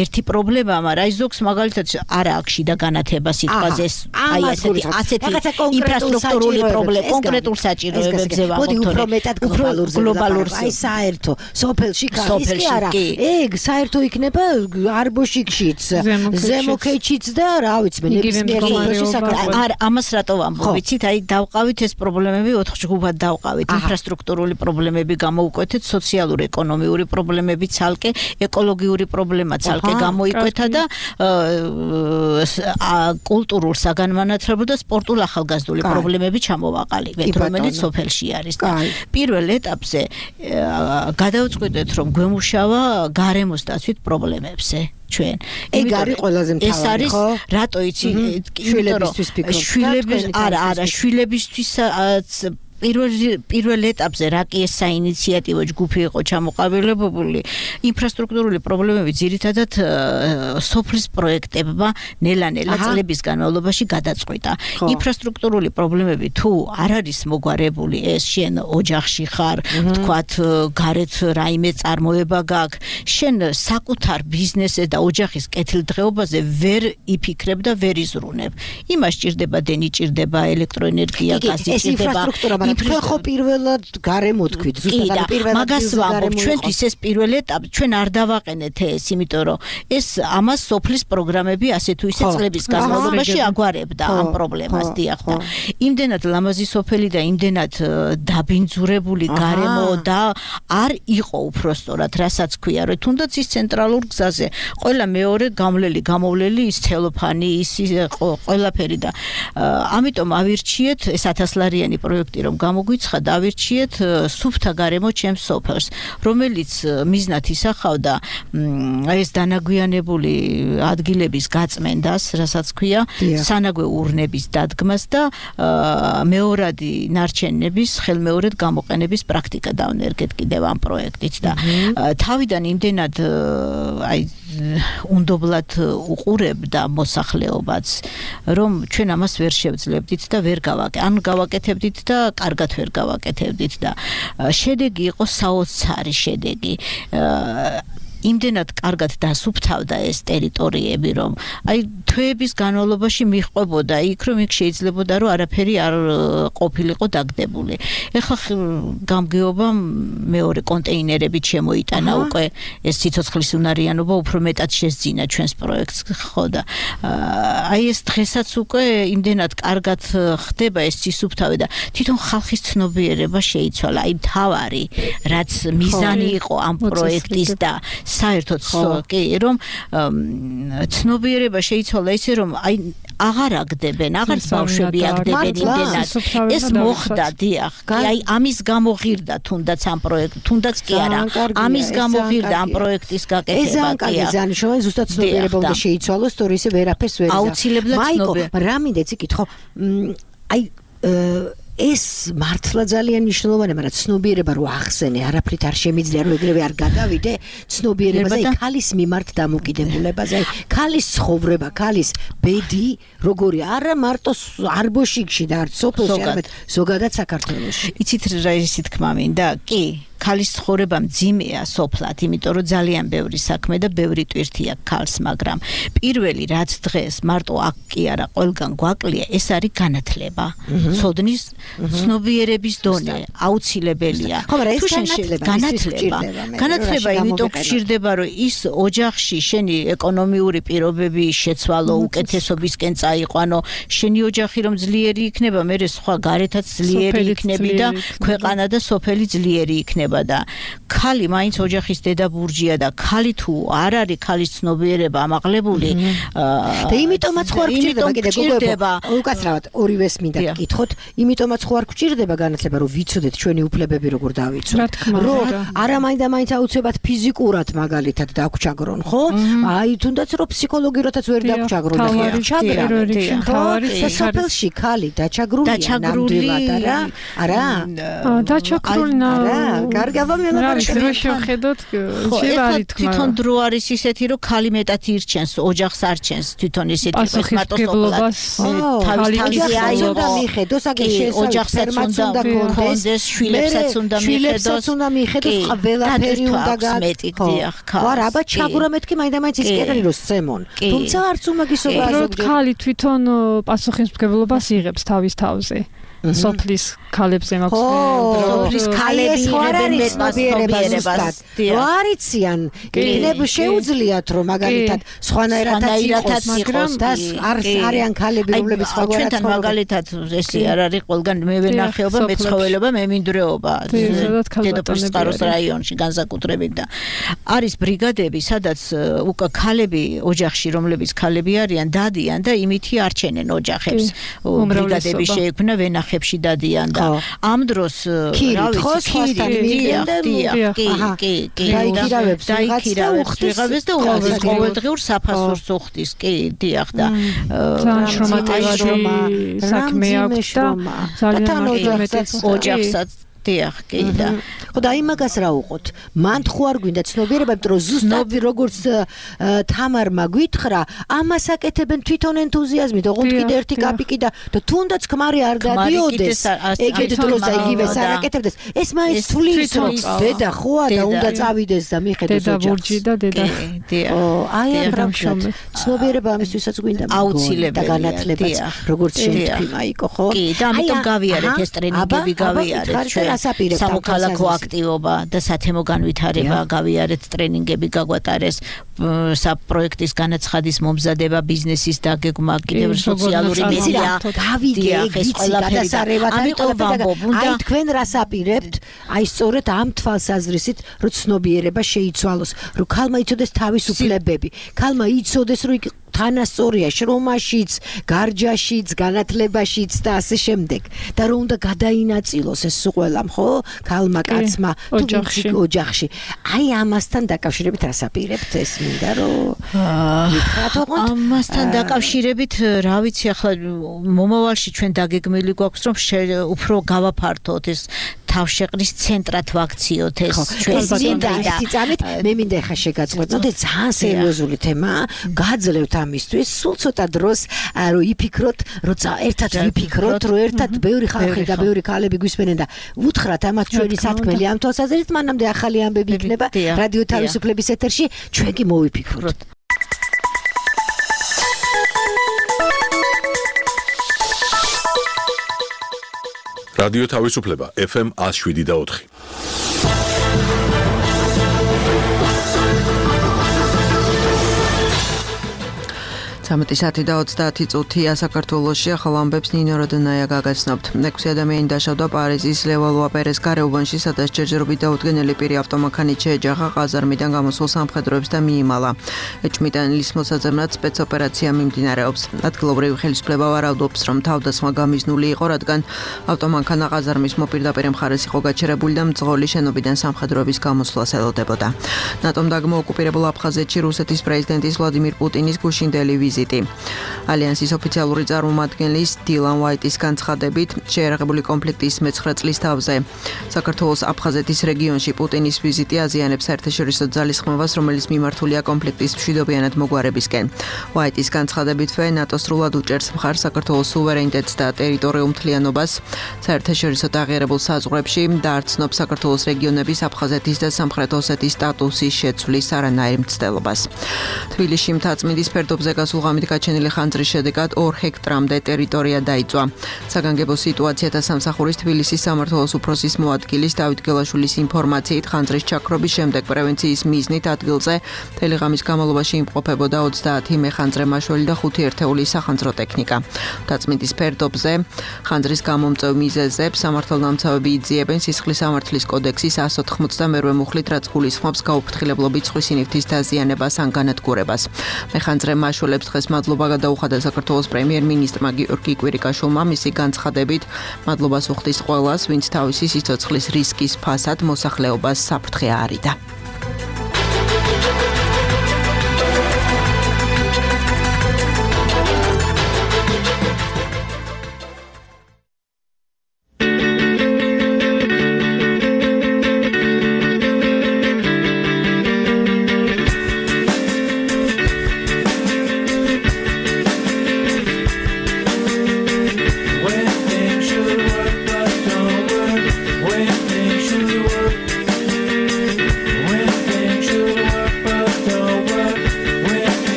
ერთი პრობლემაა მაგრამ აი ზოგს მაგალითად არა აქვს შიდა განათება სიტყვაზე აი ასეთი ასეთი ინფრასტრუქტურული პრობლემა კონკრეტულ საჭიროებებზე ვახოთ მოდი უფრო მეტად გლობალურზე აი საერთო სოფელში ის კი არა ეგ საერთო იქნება არბოშიკშიც ზემოქეჩიც და რა ვიცი მე ნებისმიერ საქართველოს არ ამას რატო ვამბობ ვიცით აი დავყავით ეს პრობლემები ოთხ ჯგუფად დავყავით ინფრასტრუქტურული პრობლემები გამოუკვეთეთ სოციალური ეკონომიური პრობლემები ცალკე ეკოლოგიური პრობლემა ცალკე გამოიკვეთა და კულტურულ საგანმანათლებლო და სპორტულ ახალგაზრდული პრობლემები ჩამოვაყალიბეთ რომელიც სოფელში არის და პირველ ეტაპზე გადავწყვიტეთ რომ გვემუშავა გარემოს დაცვით პრობლემებზე ჩვენ ეგ არის ყველაზე მთავარი ხო ეს არის რატო იცი შვილებისთვის ფიქრობ შვილების არა არა შვილებისთვისაც პირველ პირველ ეტაპზე რა კი ეს საინიციატივო ჯგუფი იყო ჩამოყალიბებული ინფრასტრუქტურული პრობლემები ძირითადად სოფლის პროექტებმა ნელა-ნელა წლების განმავლობაში გადაწყვიტა ინფრასტრუქტურული პრობლემები თუ არ არის მოგვარებული ეს შენ ოჯახში ხარ ვთქვათ გარეთ რაიმე წარმოება გაქვს შენ საკუთარ ბიზნესზე და ოჯახის კეთილდღეობაზე ვერ იფიქრებ და ვერ იზრუნებ იმას ჭირდება დენი ჭირდება ელექტროენერგია გაზი ჭირდება თქვენ ხო პირველად გარემო თქვით ზუსტად პირველად მაგას ვამბობ ჩვენთვის ეს პირველ ეტაპი ჩვენ არ დავაყენეთ ეს იმიტომ რომ ეს ამას სოფლის პროგრამები ასე თუ ისე წლების განმავლობაში აგვარებდა ამ პრობლემას დიახ და იმდენად ლამაზი სოფელი და იმდენად დაბინძურებული გარემო და არ იყო უпростоრად რასაც ქვია რომ თუნდაც ის ცენტრალურ გზაზე ყველა მეორე გამლელი გამოვლელი ის ცელოფანი ის ყველაფერი და ამიტომ ავირჩიეთ ეს ათასლარიანი პროექტი რომ გამოგვიცხა დავირჩიეთ სუფთა გარემო ჩემს სოფელს რომელიც მიზნად ისახავდა ეს დანაგვიანებული ადგილების გაწმენდას რასაც ქვია სანაგვე ურნების დადგმას და მეორადი ნარჩენების ხელმეორედ გამოყენების პრაქტიკა დავნერგეთ კიდევ ამ პროექტით და თავიდან იმდენად აი უნდობლად უყურებდა მოსახლეობაც, რომ ჩვენ ამას ვერ შევძლებდით და ვერ გავაკეთებდით, ან გავაკეთებდით და კარგად ვერ გავაკეთებდით და შედეგი იყო საოცარი შედეგი. იმდენად კარგად დასუფთავდა ეს ტერიტორიები, რომ აი თვეების განმავლობაში მიჰყვებოდა იქ, რომ იქ შეიძლებოდა რომ არაფერი არ ყოფილიყო დაგდებული. ეხლა გამგეობა მეორე კონტეინერებით შემოიტანა უკვე ეს სიცოცხლის უნარიანობა უფრო მეტად შესძინა ჩვენს პროექტს, ხო და აი ეს დღესაც უკვე იმდენად კარგად ხდება ეს სისუფთავე და თვითონ ხალხის ცნობიერება შეიცვალა. აი მთავარი რაც მიზანი იყო ამ პროექტის და საერთოდ კი რომ ცნობიერება შეიცვალა ისე რომ აი აღარ აგდებენ, აღარც ბავშვები აგდებენ იმდენად. ეს მოხდა, დიახ. აი ამის გამო ღირდა თუნდაც ამ პროექტ, თუნდაც კი არა. ამის გამო ღირდა ამ პროექტის გაკეთება. ეს ძალიან კარგი ზანიშოვანი, ზუსტად ცნობიერება უნდა შეიცვალოს, თორე ისე ვერაფერს ვერ იზამს. აუცილებლად ცნობიერება. მაიკო, რა მინდა იცი კითხო, აი ეს მართლა ძალიან მნიშვნელოვანია, მაგრამ ცნობიერება რო ახსენე, არაფრით არ შემიძლია რომ ეგრევე არ გადავიდე, ცნობიერებაზე, აი ქალის მიმართ დამოკიდებულებაზე, აი ქალის ცხოვრება, ქალის ბედი, როგორი არა მარტო არბოშიკში და არც სოფელში, არამედ ზოგადად საქართველოში. იცით რა ისე თქმა მინდა? კი. ქალის ცხოვრება მძიმეა სოფლად, იმიტომ რომ ძალიან ბევრი საქმე და ბევრი ტვირთი აქვს ქალს, მაგრამ პირველი რაც დღეს მარტო აქ კი არა, ყველგან გვაკლია, ეს არის განათლება. ცოდნის, ცნობიერების დონე აუცილებელია. ხო, მაგრამ ეს განათლება, განათლება, განათლება იმიტომ გჭირდება, რომ ის ოჯახში შენი ეკონომიური პირობები შეცვალო, უკეთესობისკენ წაიყვანო, შენი ოჯახი რომ ძლიერი იქნება, მერე სხვა გარეთაც ძლიერი იქნები და ქვეყანა და სოფელი ძლიერი იქნება. და ქალი მაინც ოჯახის დედაბურჯია და ქალი თუ არ არის ქალის ცნობიერება ამაღლებული და იმიტომაც ხო არ გჭირდება კიდე გოგოებო უკაცრავად ორივეს მინდა გკითხოთ იმიტომაც ხო არ გჭირდება განათლება რომ ვიცოდეთ ჩვენი უფლებები როგორ დავიცვათ რომ არა მაინდა მაინც აუცილებლად ფიზიკურად მაგალითად დაგჩაგრონ ხო აი თუნდაც რომ ფსიქოლოგიურადაც ვერ დაგჩაგრონ და ჩაგრან და სოფელში ქალი დაჩაგრულია ნამდვილად არა არა დაჩაგრული გარგაბა მელაპარაკე რა შევხედოთ შევარით თქმა თვითონ დრო არის ისეთი რომ ქალი მეტად ირჩენს ოჯახს არჩენს თვითონ ისეთი პასუხისმგებლობას თავის თავზე აიოდა მიხედოს აგერ ოჯახსაც უნდა კონდეს შვილებსაც უნდა მიხედოს უნდა მიხედოს ყველაფერი უნდა გაგდიახ ქალს ვარ აბა ჩაგურა მეთქი მაინდა-მაინც ის კი არის რომ სცემონ თუმცა არც უმაგისობა ზოგადად ქალი თვითონ პასუხისმგებლობას იღებს თავის თავზე სოფლის ქალებზე მაქვს სოფლის ქალები იღებენ მეტ პასუხისმგებლობას ვარიციან იქნებ შეუძლიათ რომ მაგალითად სხვანაირადაც იყოს და არიან ქალები რომლებიც სხვაგვარად ჩვენთან მაგალითად ესე არ არის ყველგან მე ვენახეობა მეცხოველობა მემინდვრეობა დედოფლის წყაროს რაიონში განსაკუთრებით და არის ბრიგადები სადაც უკვე ქალები ოჯახში რომლებიც ქალები არიან დადიან და იმითი არჩენენ ოჯახებს ბრიგადები შეიქმნა ვენახეობა ხებში დადიან და ამ დროს რა ვიცი დიახ დიახ კი კი კი დაიქირავებს ვიღავეს და უღალეს ყოველდღიურ საფასურს უხდის კი დიახ და შრომატევარი საქმე აქვს და ძალიან მეტად ოჯახსაც დიახ კი და ხო და იმაგას რა უყოთ მან ხო არ გვინდა ცნობიერება იმიტომ რომ ზუსტად როგორც თამარმა გვითხრა ამას აკეთებენ თვითონ ენთუზიაზმით ოღონდ კიდე ერთი კაპიკი და თუნდაც ქმარი არ დადიოდეს ეგეთ დროს აიგივეს არ აკეთებდეს ეს მაინც თulis რომ დედა ხოა და უნდა წავიდეს და მიხედოს ოჯახს დედა ბურჯი და დედა ო აი ამრამ ცნობიერება ამისთვისაც გვინდა აუცილებელია და განათლებაც როგორც შეთქვი მაიკო ხო კი და ამიტომ გავიარეთ ეს ტრენინგები გავიარეთ ჩვენ სამოქალაქო აქტივობა და სათემო განვითარება გავიარეთ ტრენინგები გაგვატარეს საპროექტის განაცხადის მომზადება ბიზნესის დაგეგმა კიდევ სოციალური მედია გავიგე ეს ყველაფერი აი თქვენ რას აპირებთ აი სწორედ ამ თვალსაზრისით რომ ცნობიერება შეიცვალოს რომ ქალმა იცოდეს თავის უფლებები ქალმა იცოდეს რომ თანასწორია შრომაშიც, გარჯაშიც, განათლებაშიც და ასე შემდეგ. და რომ უნდა გადაინაწილოს ეს ყველამ, ხო? ქალმა, კაცმა, ოჯახში. ოჯახში. აი ამასთან დაკავშირებით რას აპირებთ ეს მინდა რომ ვიქრათ ოღონდ ამასთან დაკავშირებით რა ვიცი ახლა მომავალში ჩვენ დაგეგმილი გვაქვს რომ უფრო გავაფართოთ ეს თავშეყრის ცენტრად ვაქციოთ ეს ჩვენს წამით მე მინდა ხა შეგაწყვეტნოთ ძალიან სერიოზული თემაა გაძლევთ ამისთვის სულ ცოტა დროს რომ იფიქროთ რომ ერთად ვიფიქროთ რომ ერთად ბევრი ხალხი და ბევრი ქალები გვისმენენ და ვუთხრათ ამათ ჩვენი სათქმელი ამ თვალსაზრისით მანამდე ახალი ამბები იქნება რადიო თავისუფლების ეთერში ჩვენ კი მოვიფიქროთ რადიო თავისუფლება ეფ ემ one oh seven და four. ცამეტი საათი და ოცდაათი წუთია საქართველოში ახალ ამბებს ნინო როდონაია გაგაცნობთ. ექვსი ადამიანი დაშავდა პარიზის ლევალუა პერეს გარეუბანში, სადაც ჯერჯერობით დაუდგენელი პირი ავტომანქანით შეეჯახა ყაზარმიდან გამოსულ სამხედროებს და მიიმალა. ეჭვმიტანილის მოსაძებნად სპეცოპერაცია მიმდინარეობს. ადგილობრივი ხელისუფლება ვარაუდობს, რომ თავდასხმა გამიზნული იყო, რადგან ავტომანქანა ყაზარმის მოპირდაპირე მხარეს იყო გაჩერებული და მძღოლი შენობიდან სამხედროების გამოსვლას ელოდებოდა. ნატომ დაგმო ოკუპირებულ აფხაზეთში რუსეთის პრეზიდენტის ვლადიმირ პუტინის გუშინდელი ვიზიტი. ალიანსის ოფიციალური წარმომადგენლის დილან ვაიტის განცხადებით შეერაღებული კონფლიქტის მეცხრე წლის თავზე საქართველოს აფხაზეთის რეგიონში პუტინის ვიზიტი აზიანებს საერთაშორისო ძალისხმევას, რომელიც მიმართულია კონფლიქტის მშვიდობიანად მოგვარებისკენ. ვაიტის განცხადებით ვე ნატო სრულად უჭერს მხარს საქართველოს სუვერენიტეტს და ტერიტორიულ მთლიანობას საერთაშორისო დაღიარებულ საზღვრებში და არ ცნობს საქართველოს რეგიონების აფხაზეთის და სამხრეთ ოსეთის სტატუსის შეცვლის არანაირ მცდელობას. თბილისში მთაწმინდის ფერდობზე გასულ ღამით გაჩენილი ხანძრის შედეგად ორ ჰექტრამდე ტერიტორია დაიწვა. საგანგებო სიტუაციათა სამსახურის თბილისის სამმართველოს უფროსის მოადგილის დავით გელაშვილის ინფორმაციით ხანძრის ჩაქრობის შემდეგ პრევენციის მიზნით ადგილზე მთელი ღამის განმავლობაში იმყოფებოდა ოცდაათი მეხანძრე მაშველი და ხუთი ერთეული სახანძრო ტექნიკა. მთაწმინდის ფერდობზე ხანძრის გამომწვევ მიზეზებს სამართალდამცავები იძიებენ სისხლის სამართლის კოდექსის one ninety-two მუხლით, რაც გულისხმობს გაუფრთხილებლობით სხვისი ნივთის დაზიანებას ან განადგურებას. მეხანძრე მაშველებს დღეს მადლობა გადაუხადა საქართველოს პრემიერ-მინისტრმა გიორგი კვირიკაშვილმა. მისი განცხადებით მადლობას უხდის ყველას, ვინც თავისი სიცოცხლის რისკის ფასად მოსახლეობას საფრთხე აარიდა.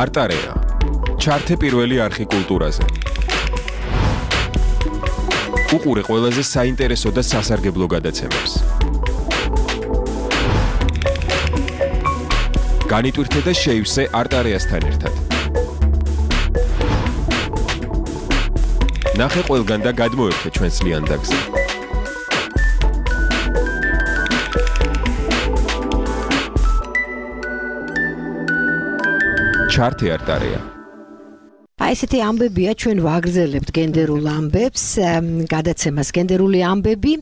არტარეა. ჩართე პირველი არხი კულტურაზე. უყურე ყველაზე საინტერესო და სასარგებლო გადაცემებს. განიტვირთე და შეივსე არტარეასთან ერთად. ნახე ყველგან და გადმოერთე ჩვენს ლიანდაგზე. ჩართე არტარეა. აი ესეთი ამბებია ჩვენ ვაგრძელებთ გენდერულ ამბებს, გადაცემას გენდერული ამბები.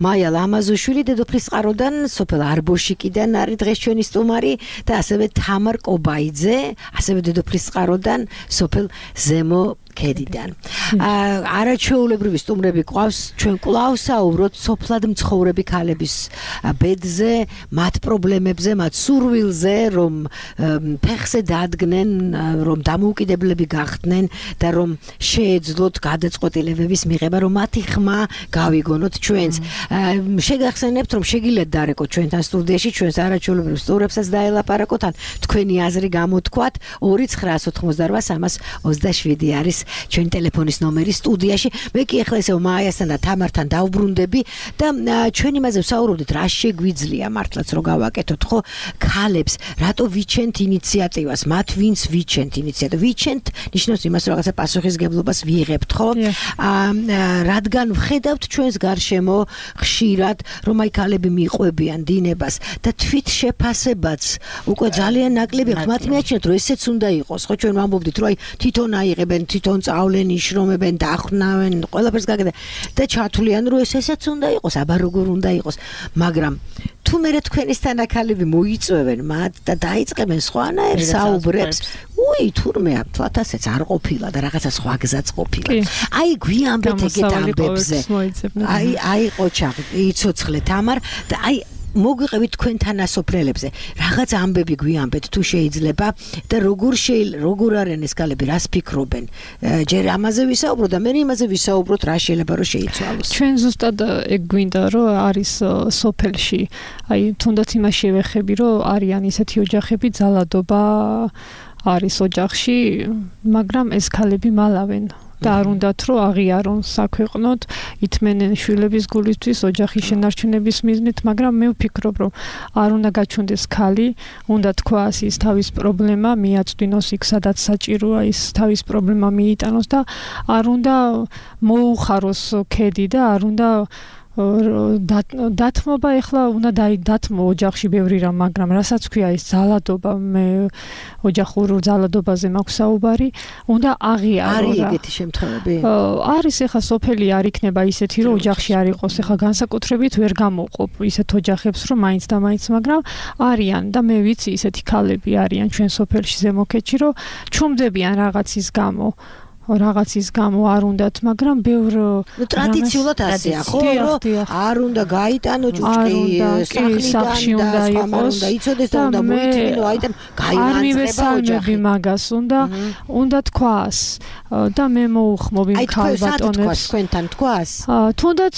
მაია ლამაზუშვილი დედოფლის წყაროდან, სოფელ არბოშიკიდან არის დღეს ჩვენი სტუმარი და ასევე თამარ კობაიძე, ასევე დედოფლის წყაროდან, სოფელ ზემო ქედიდან. არაჩვეულებრივი სტუმრები ყავს, ჩვენ კვლავ საუბრობთ სოფლად მცხოვრები ქალების ბედზე, მათ პრობლემებზე, მათ სურვილზე, რომ ფეხზე დადგნენ, რომ დამოუკიდებლები გახდნენ და რომ შეეძლოთ გადაწყვეტილებების მიღება, რომ მათი ხმა გავიგონოთ ჩვენს. შეგახსენებთ, რომ შეგიძლიათ დარეკოთ ჩვენთან სტუდიაში, ჩვენს არაჩვეულებრივ სტუმრებსაც დაელაპარაკოთ, ან თქვენი აზრი გამოთქვათ. ორი ცხრაას ოთხმოცდარბა სამას ოცდაშვიდი არის ჩვენი ტელეფონის ნომერი სტუდიაში. მე კი ახლა ესე მაიასთან და თამართან დავბრუნდები და ჩვენ იმაზე ვსაუბრობდით, რა შეგვიძლია მართლაც რომ გავაკეთოთ, ხო? ქალებს რატო ვიჩენთ ინიციატივას, მათ ვინც ვიჩენთ ინიციატივას. ვიჩენთ ნიშნავს იმას, რომ რაღაცა პასუხისგებლობას ვიღებთ, ხო? რადგან ვხედავთ ჩვენს გარშემო ხშირად, რომ აი ქალები მიყვებიან დინებას და თვით შეფასებაც უკვე ძალიან ნაკლები აქვს. მათ მიაჩნიათ, რომ ესეც უნდა იყოს, ხო? ჩვენ ვამბობდით, რომ აი თვითონ აიღებენ, თვითონ წავლენ, იშრომებენ, დაახვნავენ, ყველაფერს გაგებენ და ჩათვლიან, რომ ეს ესეც უნდა იყოს, აბა როგორ უნდა იყოს, მაგრამ თუ მე თქვენისთან აქალები მოიწვევენ მათ და დაიწყებენ სხვანაირ საუბრებს, უი, თურმე თვათასეც არ ყოფილა და რაღაცა სხვა გზაც ყოფილა. აი გვიამბეთ ეგეთ ამბებზე. აი აი ყოჩა, იცოცხლე თამარ და აი მოგვიყევით თქვენ თანასოფლელებზე. რაღაც ამბები გვიამბეთ თუ შეიძლება და როგორ შეიძლება, როგორ არიან ეს ქალები, რას ფიქრობენ. ჯერ ამაზე ვისაუბროთ და მე იმაზე ვისაუბროთ, რა შეიძლება რომ შეიცვალოს. ჩვენ ზუსტად ეგ გვინდა რომ არის სოფელში, აი თუნდაც იმას შევეხები, რომ არიან ისეთი ოჯახები, ძალადობა არის ოჯახში, მაგრამ ეს ქალები მალავენ. და არ უნდათ რომ აღიარონ საქვეყნოდ, ითმენენ შვილების გულისთვის ოჯახის შენარჩუნების მიზნით, მაგრამ მე ვფიქრობ, რომ არ უნდა გაჩვენდეს ქალი, უნდა თქვას ის თავის პრობლემა, მიაწვდინოს იქ, სადაც საჭიროა ის თავის პრობლემა მიიტანოს და არ უნდა მოუხაროს ქედი და არ უნდა დათმობა ეხლა უნდა დათმო ოჯახში ბევრი რამ, მაგრამ რასაც ქვია ის ძალადობა, მე ოჯახურ ძალადობაზე მაქვს საუბარი, უნდა აღიარო. არის ეგეთი შემთხვევები? არის ეხლა სოფელი არ იქნება ისეთი, რომ ოჯახში არ იყოს, ეხლა განსაკუთრებით ვერ გამოყოფ ისეთ ოჯახებს, რომ მაინც და მაინც, მაგრამ არიან და მე ვიცი ისეთი ქალები არიან ჩვენ სოფელში ზემო ქედში, რომ ჩუმდებიან რაღაცის გამო. რაღაცის გამო არ უნდათ, მაგრამ ბევრ ტრადიციულად ასეა, ხო, რომ არ უნდა გაიტანო ჭუჭყი სახლიდან და იყოს და იცოდეს და უნდა მოიწმინო, აი და გაიარება ოჯახი მაგას უნდა უნდა თქვას და მე მოუხმობ იმ ქალბატონებს თქვენთან თქვას. თუნდაც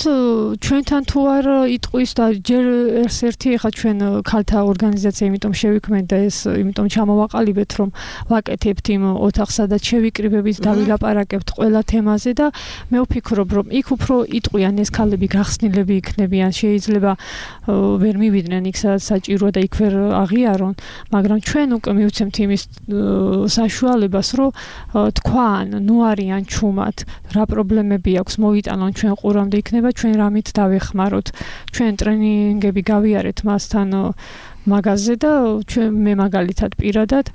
ჩვენთან თუ არ იტყვის და ჯერ ერთ-ერთი ახლა ჩვენ ქალთა ორგანიზაცია იმიტომ შევიქმნეთ და ეს იმიტომ ჩამოვაყალიბეთ, რომ ვაკეთებთ იმ ოთახს, სადაც შევიკრიბებით და ვილაპარაკებთ ყველა თემაზე და მე ვფიქრობ, რომ იქ უფრო იტყვიან ეს ქალები გახსნილები იქნებიან, შეიძლება ვერ მივიდნენ იქ სადაც საჭიროა და იქ ვერ აღიარონ, მაგრამ ჩვენ უკვე მივცემთ იმის საშუალებას, რომ თქვან, ნუ არიან ჩუმად, რა პრობლემები აქვს, მოიტანონ ჩვენ ყურამდე იქნება, ჩვენ რამით დავეხმაროთ, ჩვენ ტრენინგები გავიარეთ მასთან მაგაზე და ჩვენ მე მაგალითად პირადად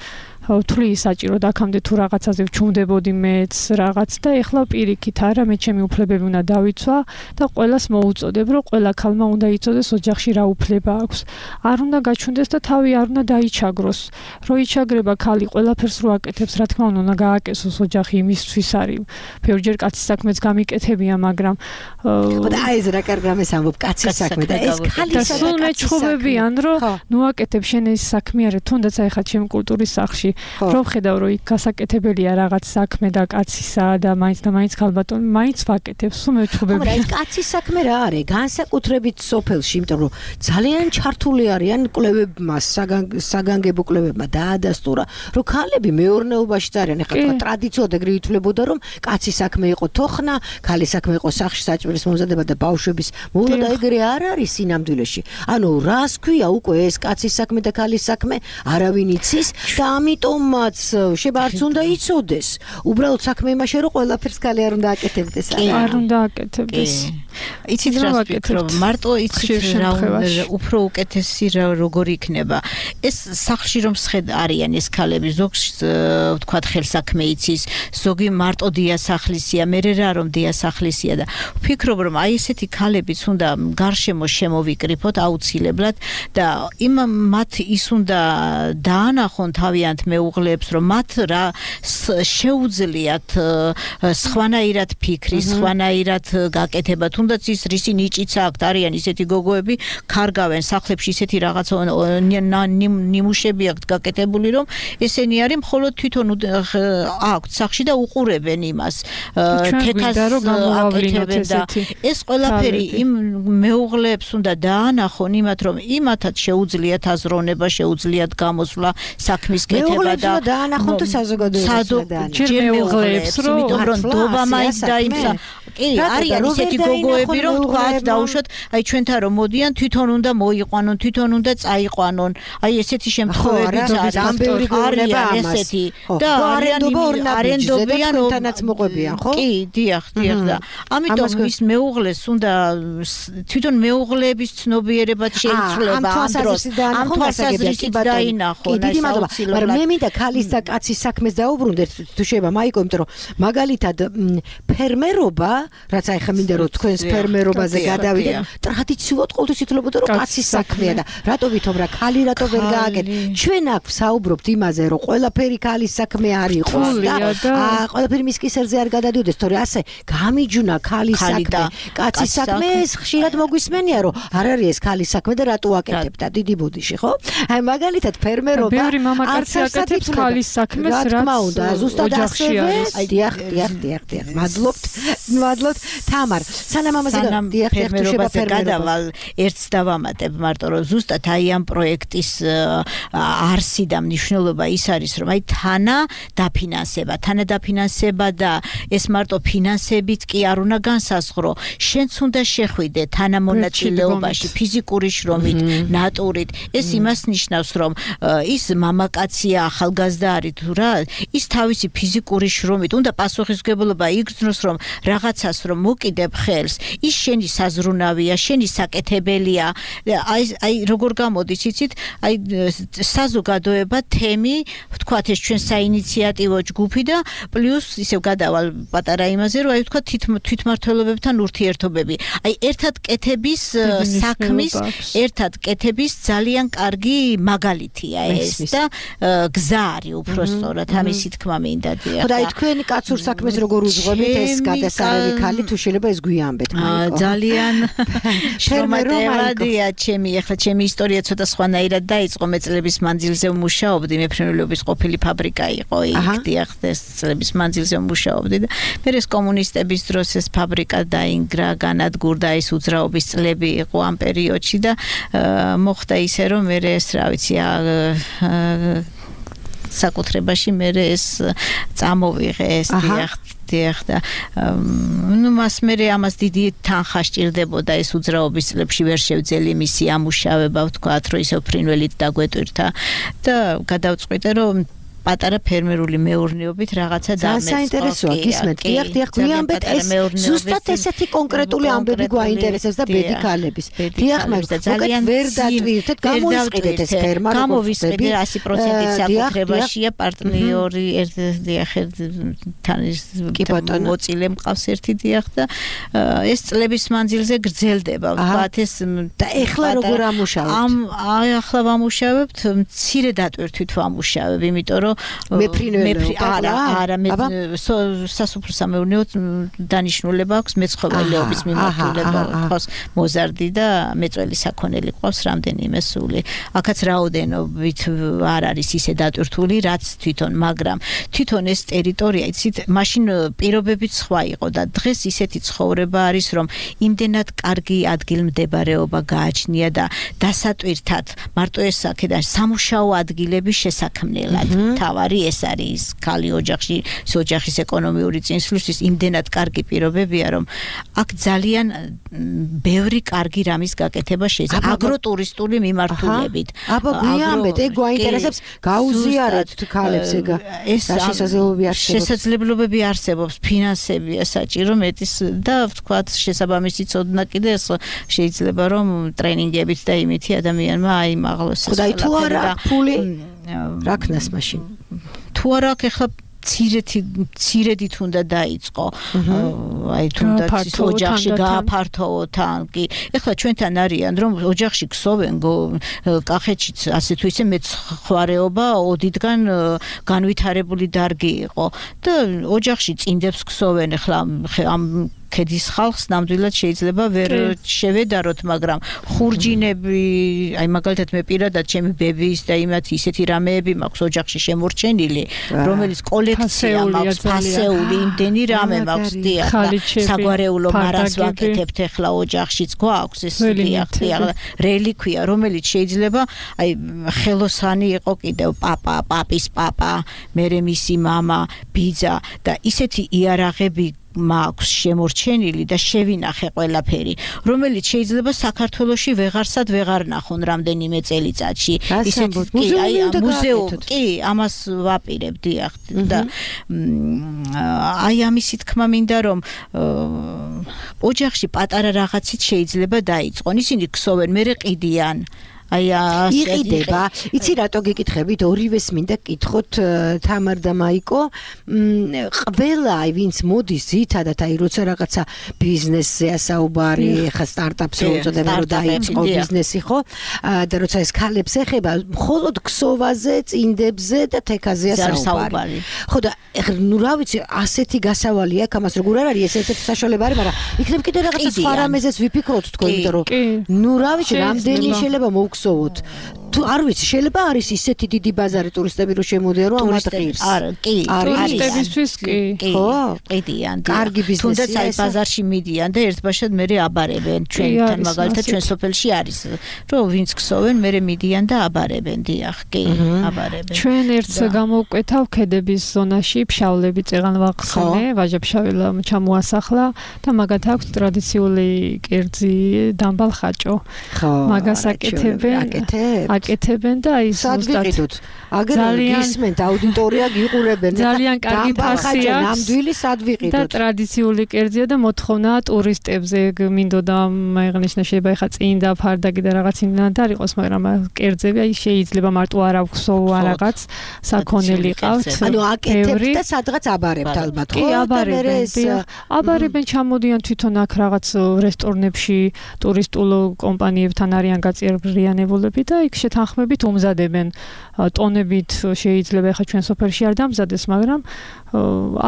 თვლი საჭირო და აქამდე თუ რაღაცაზე ვჩუმდებოდი მეც რაღაც და ეხლა პირიქით არა, მე ჩემი უფლებები უნდა დავიცვა და ყველას მოუწოდებ, რომ ყველა ქალმა უნდა იცოდეს ოჯახში რა უფლება აქვს. არ უნდა გაჩვენდეს და თავი არ უნდა დაიჩაგროს. რო იჩაგრება ქალი ყველაფერს რო აკეთებს, რა თქმა უნდა, უნდა გააკეთოს ოჯახი იმისთვის არის. ბევრჯერ კაცის საქმეც გამიკეთებია, მაგრამ და აი ეს რა კარგ რამეს ამბობ, კაცის საქმე და ეს ქალისა და სულ მეჩხუბებიან, რომ ნუ ნოაკეთებ შენ ეს საქმე არა თუნდაც აი ხა ჩემ კულტურის სახლში რომ ხედავ რომ იქ გასაკეთებელია რაღაც საქმე და კაცისა და მაინც და მაინც ხალბატონ მაინც ვაკეთებ სულ მეჩხუბები მაგრამ ეს კაცის საქმე რა არის განსაკუთრებით სოფელში იმიტომ რომ ძალიან ჩართული არიან კვლევებმა საგანგებო კვლევებმა დაადასტურა რომ ქალები მეურნეობაში არიან ეხლა თქვა ტრადიციულად ეგრე ითვლებოდა რომ კაცის საქმე იყო თოხნა ქალის საქმე იყო სახში საჭმლის მომზადება და ბავშვების მოვლა და ეგრე არ არის სინამდვილეში ანუ რას ქვია უკვე ეს კაცის საქმე და ქალის საქმე არავინ იცის და ამიტომაც შეიძლება არც უნდა იცოდეს უბრალოდ საქმე იმაშია რომ ყველაფერს ქალი არ უნდა აკეთებდეს არ უნდა აკეთებდეს იცით რა ვფიქრობ მარტო იცით რა უფრო უკეთესი რა როგორ იქნება ეს სახლში რომ სხედ არიან ეს ქალები ზოგს ვთქვათ ხელსაქმე იცის ზოგი მარტო დიასახლისია მე რა რომ დიასახლისია და ვფიქრობ რომ აი ესეთი ქალებიც უნდა გარშემო შემოვიკრიფოთ აუცილებლად და იმ მათ ის უნდა დაანახონ თავიანთ მეუღლეებს რომ მათ რა შეუძლიათ სხვანაირად ფიქრი სხვანაირად გაკეთება თუნდაც ის რისი ნიჭიც აქვთ არიან ისეთი გოგოები ქარგავენ სახლებში ისეთი რაღაცა ნიმუშები აქვთ გაკეთებული რომ ესენი არის მხოლოდ თვითონ აქვთ სახლში და უყურებენ იმას თეთრს აკეთებენ და ეს ყველაფერი იმ მეუღლეებს უნდა დაანახონ იმათ რომ იმათაც შეუძლიათ აზროვნება შეუძლიათ გამოსვლა საქმის კეთება და დაანახონ თუ საზოგადოებაში ჯერ მეუღლეებს იმიტომ რომ დობა მაინც დაიმსა კი არიან ისეთი გოგოები რომ თქვათ დაუშვათ აი ჩვენთან რომ მოდიან თვითონ უნდა მოიყვანონ თვითონ უნდა წაიყვანონ აი ესეთი შემთხვევებიც არის ამ ბევრი გოგონება ესეთი და არენდობიან თვითონაც მოყვებიან ხო კი დიახ დიახ და ამიტომ ის მეუღლეს უნდა თვითონ მეუღლეების ცნობიერებად შეიცვლება ამ დროს ამ თვალსაზრისით დაინახონ დიდი მადლობა მაგრამ მე მინდა ქალის და კაცის საქმეს დაუბრუნდეთ თუ შეიძლება მაიკო იმიტომ რომ მაგალითად ფერმერობა რაც აი ხა მინდა რომ თქვენს ფერმერობაზე გადავიდეთ ტრადიციულად ყოველთვის ითვლებოდა რომ კაცის საქმეა და რატო ვითომ რა ქალი რატო ვერ გააკეთე ჩვენ აქ ვსაუბრობთ იმაზე რომ ყველაფერი ქალის საქმე არ იყოს და ყველაფერი მის კისერზე არ გადადიოდეს თორე ასე გამიჯუნა ქალის საქმე კაცის საქმე ხშირად მოგვისმენია რომ არ არის ეს ქალის საქმე და რატო აკეთებ და დიდი ბოდიში ხო აი მაგალითად ფერმერობა ბევრი მამაკაცი აკეთებს ქალის საქმეს რაც რა თქმა უნდა ზუსტად ასევე დიახ დიახ დიახ დიახ მადლობთ მადლობთ თამარ სანამ ამაზე დიახ ფერმერობაზე გადავალ ერთს დავამატებ მარტო რომ ზუსტად აი ამ პროექტის არსი და მნიშვნელობა ის არის რომ აი თანა დაფინანსება თანა დაფინანსება და ეს მარტო ფინანსებით კი არ უნდა განსაზღვრო შენც უნდა შეხვიდე თანამონაწილეობაში ფიზიკური შრომით ნატურით ეს იმას ნიშნავს რომ ის მამაკაცია ახალგაზრდა არის თუ რა ის თავისი ფიზიკური შრომით უნდა პასუხისმგებლობა იგრძნოს რომ რაღაცას რომ მოკიდებ ხელს ის შენი საზრუნავია შენი საკეთებელია აი აი როგორ გამოდის იცით აი საზოგადოება თემი ვთქვათ ეს ჩვენ საინიციატივო ჯგუფი და პლუს ისევ გადავალ პატარა იმაზე რომ აი ვთქვათ თვითმმართველობებთან ურთიერთობები აი ერთად კეთების საქმის ერთად კეთების ძალიან კარგი მაგალითია ეს და გზა არის უბრალოდ ამისი თქმა მინდა დიახ ხო და აი თქვენი კაცურ საქმეს როგორ უძღვებით ეს გადასარევი ქალი თუ შეიძლება ეს გვიამბეთ მაიკო ძალიან შრომატევადია ჩემი ახლა ჩემი ისტორია ცოტა სხვანაირად დაიწყო მე წლების მანძილზე ვმუშაობდი მეფრინველობის ყოფილი ფაბრიკა იყო იქ დიახ ეს წლების მანძილზე ვმუშაობდი და მე ეს კომუნისტების დროს ეს ფაბრიკა დაინგრა განადგურდა ის უძრაობის წლები იყო ამ პერიოდში და მოხდა ისე რომ მე ეს რა ვიცი საკუთრებაში მე ეს წამოვიღე ეს დიახ დიახ და ნუ მას მე ამას დიდი თანხა სჭირდებოდა ეს უძრაობის წლებში ვერ შევძელი მისი ამუშავება ვთქვათ რომ ისევ ფრინველით დაგვეტვირთა და გადავწყვიტე რომ პატარა ფერმერული მეურნეობით რაღაცა დამეწყო. საინტერესოა გისმენთ. დიახ, დიახ, გვიამბეთ ეს ზუსტად ესეთი კონკრეტული ამბები გვაინტერესებს და ბედი ქალების. დიახ, მაგრამ ძალიან ვერ დატვირთეთ, გამოისყიდეთ ეს ფერმა, გამოვისყიდეთ ასი პროცენტი საკუთრებაშია პარტნიორი ერთ დიახ თან ის მოწილე მყავს ერთი დიახ და ეს წლების მანძილზე გრძელდება. ვთქვათ ეს და ეხლა როგორ ამუშავებთ? ამ ახლა ვამუშავებთ, მცირე დატვირთვით ვამუშავებ, იმიტომ რომ მეფრინველეობა არა არა მე სასოფლო-სამეურნეო დანიშნულება აქვს მეცხოველეობის მიმართულება ყავს მოზარდი და მეწველი საქონელი ყავს რამდენიმე სული აქაც რაოდენობით არ არის ისე დატვირთული რაც თვითონ მაგრამ თვითონ ეს ტერიტორია იცით მაშინ პირობებიც სხვა იყო და დღეს ისეთი ცხოვრება არის რომ იმდენად კარგი ადგილმდებარეობა გააჩნია და დასატვირთად მარტო ეს აქედან სამუშაო ადგილების შესაქმნელად თავარი ეს არის ქალი ოჯახში ოჯახის ეკონომიური წინსვლისთვის იმდენად კარგი პირობებია რომ აქ ძალიან ბევრი კარგი რამის გაკეთება შეიძლება აგროტურისტული მიმართულებით აბა გვიამბეთ ეგ გვაინტერესებს გაუზიარეთ ქალებს ეგ ეს შესაძლებლობები არსებობს შესაძლებლობები არსებობს ფინანსებია საჭირო მეტის და ვთქვათ შესაბამისი ცოდნა კიდე ეს შეიძლება რომ ტრენინგებით და იმითი ადამიანმა აიმაღლოს ხოდა თუ არა ფული რა ქნას მაშინ თუ არა ახლა ცირეთი ცირედით უნდა დაიწყო აი თუნდაც ოჯახში გააფართოვო თან კი ეხლა ჩვენთან არიან რომ ოჯახში ქსოვენ კახეთშიც ასე თუ ისე მეცხვარეობა ოდითგან განვითარებული დარგი იყო და ოჯახში წინდებს ქსოვენ ეხლა ამ ქედის ხალხს ნამდვილად შეიძლება ვერ შევედაროთ მაგრამ ხურჯინები აი მაგალითად მე პირადად ჩემი ბებიის და იმათი ისეთი რამეები მაქვს ოჯახში შემორჩენილი რომელიც კოლექცია მაქვს ფასეული იმდენი რამე მაქვს დიახ საგვარეულო მარას ვაკეთებთ ეხლა ოჯახშიც გვაქვს ეს დიახ დიახ რელიკვია რომელიც შეიძლება აი ხელოსანი იყო კიდევ პაპა პაპის პაპა მერე მისი მამა ბიძა და ისეთი იარაღები მაქვს შემორჩენილი და შევინახე ყველაფერი რომელიც შეიძლება საქართველოში ვეღარსად ვეღარ ნახონ რამდენიმე წელიწადში ისეთი კი აი მუზეუმი კი ამას ვაპირებ დიახ და აი ამისი თქმა მინდა რომ ოჯახში პატარა რაღაცით შეიძლება დაიწყონ ისინი ქსოვენ მერე ყიდიან აი იყიდება იცი რატო გეკითხებით ორივეს მინდა კითხოთ თამარ და მაიკო ყველა აი ვინც მოდის ძირითადად აი როცა რაღაცა ბიზნესზე ასაუბარი ხა სტარტაპს უწოდება რომ დაიწყო ბიზნესი ხო და როცა ეს ქალებს ეხება მხოლოდ ქსოვაზე წინდებზე და თექაზე ასაუბარი ხო და ნუ რა ვიცი ასეთი გასავალი აქვს ამას როგორ არ არის ეს ერთ-ერთი საშუალება არის მაგრამ იქნებ კიდე რაღაცა სხვა რამეზეც ვიფიქროთ თქო იმიტომ რომ ნუ რა ვიცი რამდენი შეიძლება მოვხსოვოთ თუ არ ვიცი შეიძლება არის ისეთი დიდი ბაზარი ტურისტები რომ შემოდიან რომ ამათ ღირს არა კი ტურისტებისთვის კი ხო ყიდიან კარგი ბიზნესია თუნდაც აი ბაზარში მიდიან და ერთბაშად მერე აბარებენ ჩვენთან მაგალითად ჩვენ სოფელში არის რომ ვინც ქსოვენ მერე მიდიან და აბარებენ დიახ კი აბარებენ ჩვენ ერთს გამოვკვეთავ ქედების ზონაში ფშავლები წეღან ვახსენე ვაჟა-ფშაველა ჩამოასახლა და მაგათ აქვს ტრადიციული კერძი დამბალ ხაჭო მაგას აკეთებენ აკეთებენ და აი ზუსტად აგერ გისმენთ აუდიტორია გიყურებენ ძალიან კარგი ფასი აქვს ნამდვილი სად ვიყიდოთ და ტრადიციული კერძია და მოთხოვნა ტურისტებზე მინდოდა მაიღნიშნა შეიძლება ეხა წინდა ფარდაგი და რაღაც იმდანად არ იყოს მაგრამ კერძები აი შეიძლება მარტო არ აქვს რაღაც საქონელი ყავთ ანუ აკეთებთ და სადღაც აბარებთ ალბათ ხო აბარებენ აბარებენ ჩამოდიან თვითონ აქ რაღაც რესტორნებში ტურისტულ კომპანიებთან არიან გაწევრიანებულები და იქ შეთანხმებით უმზადებენ ტონებით შეიძლება ახლა ჩვენ სოფელში არ დამზადეს მაგრამ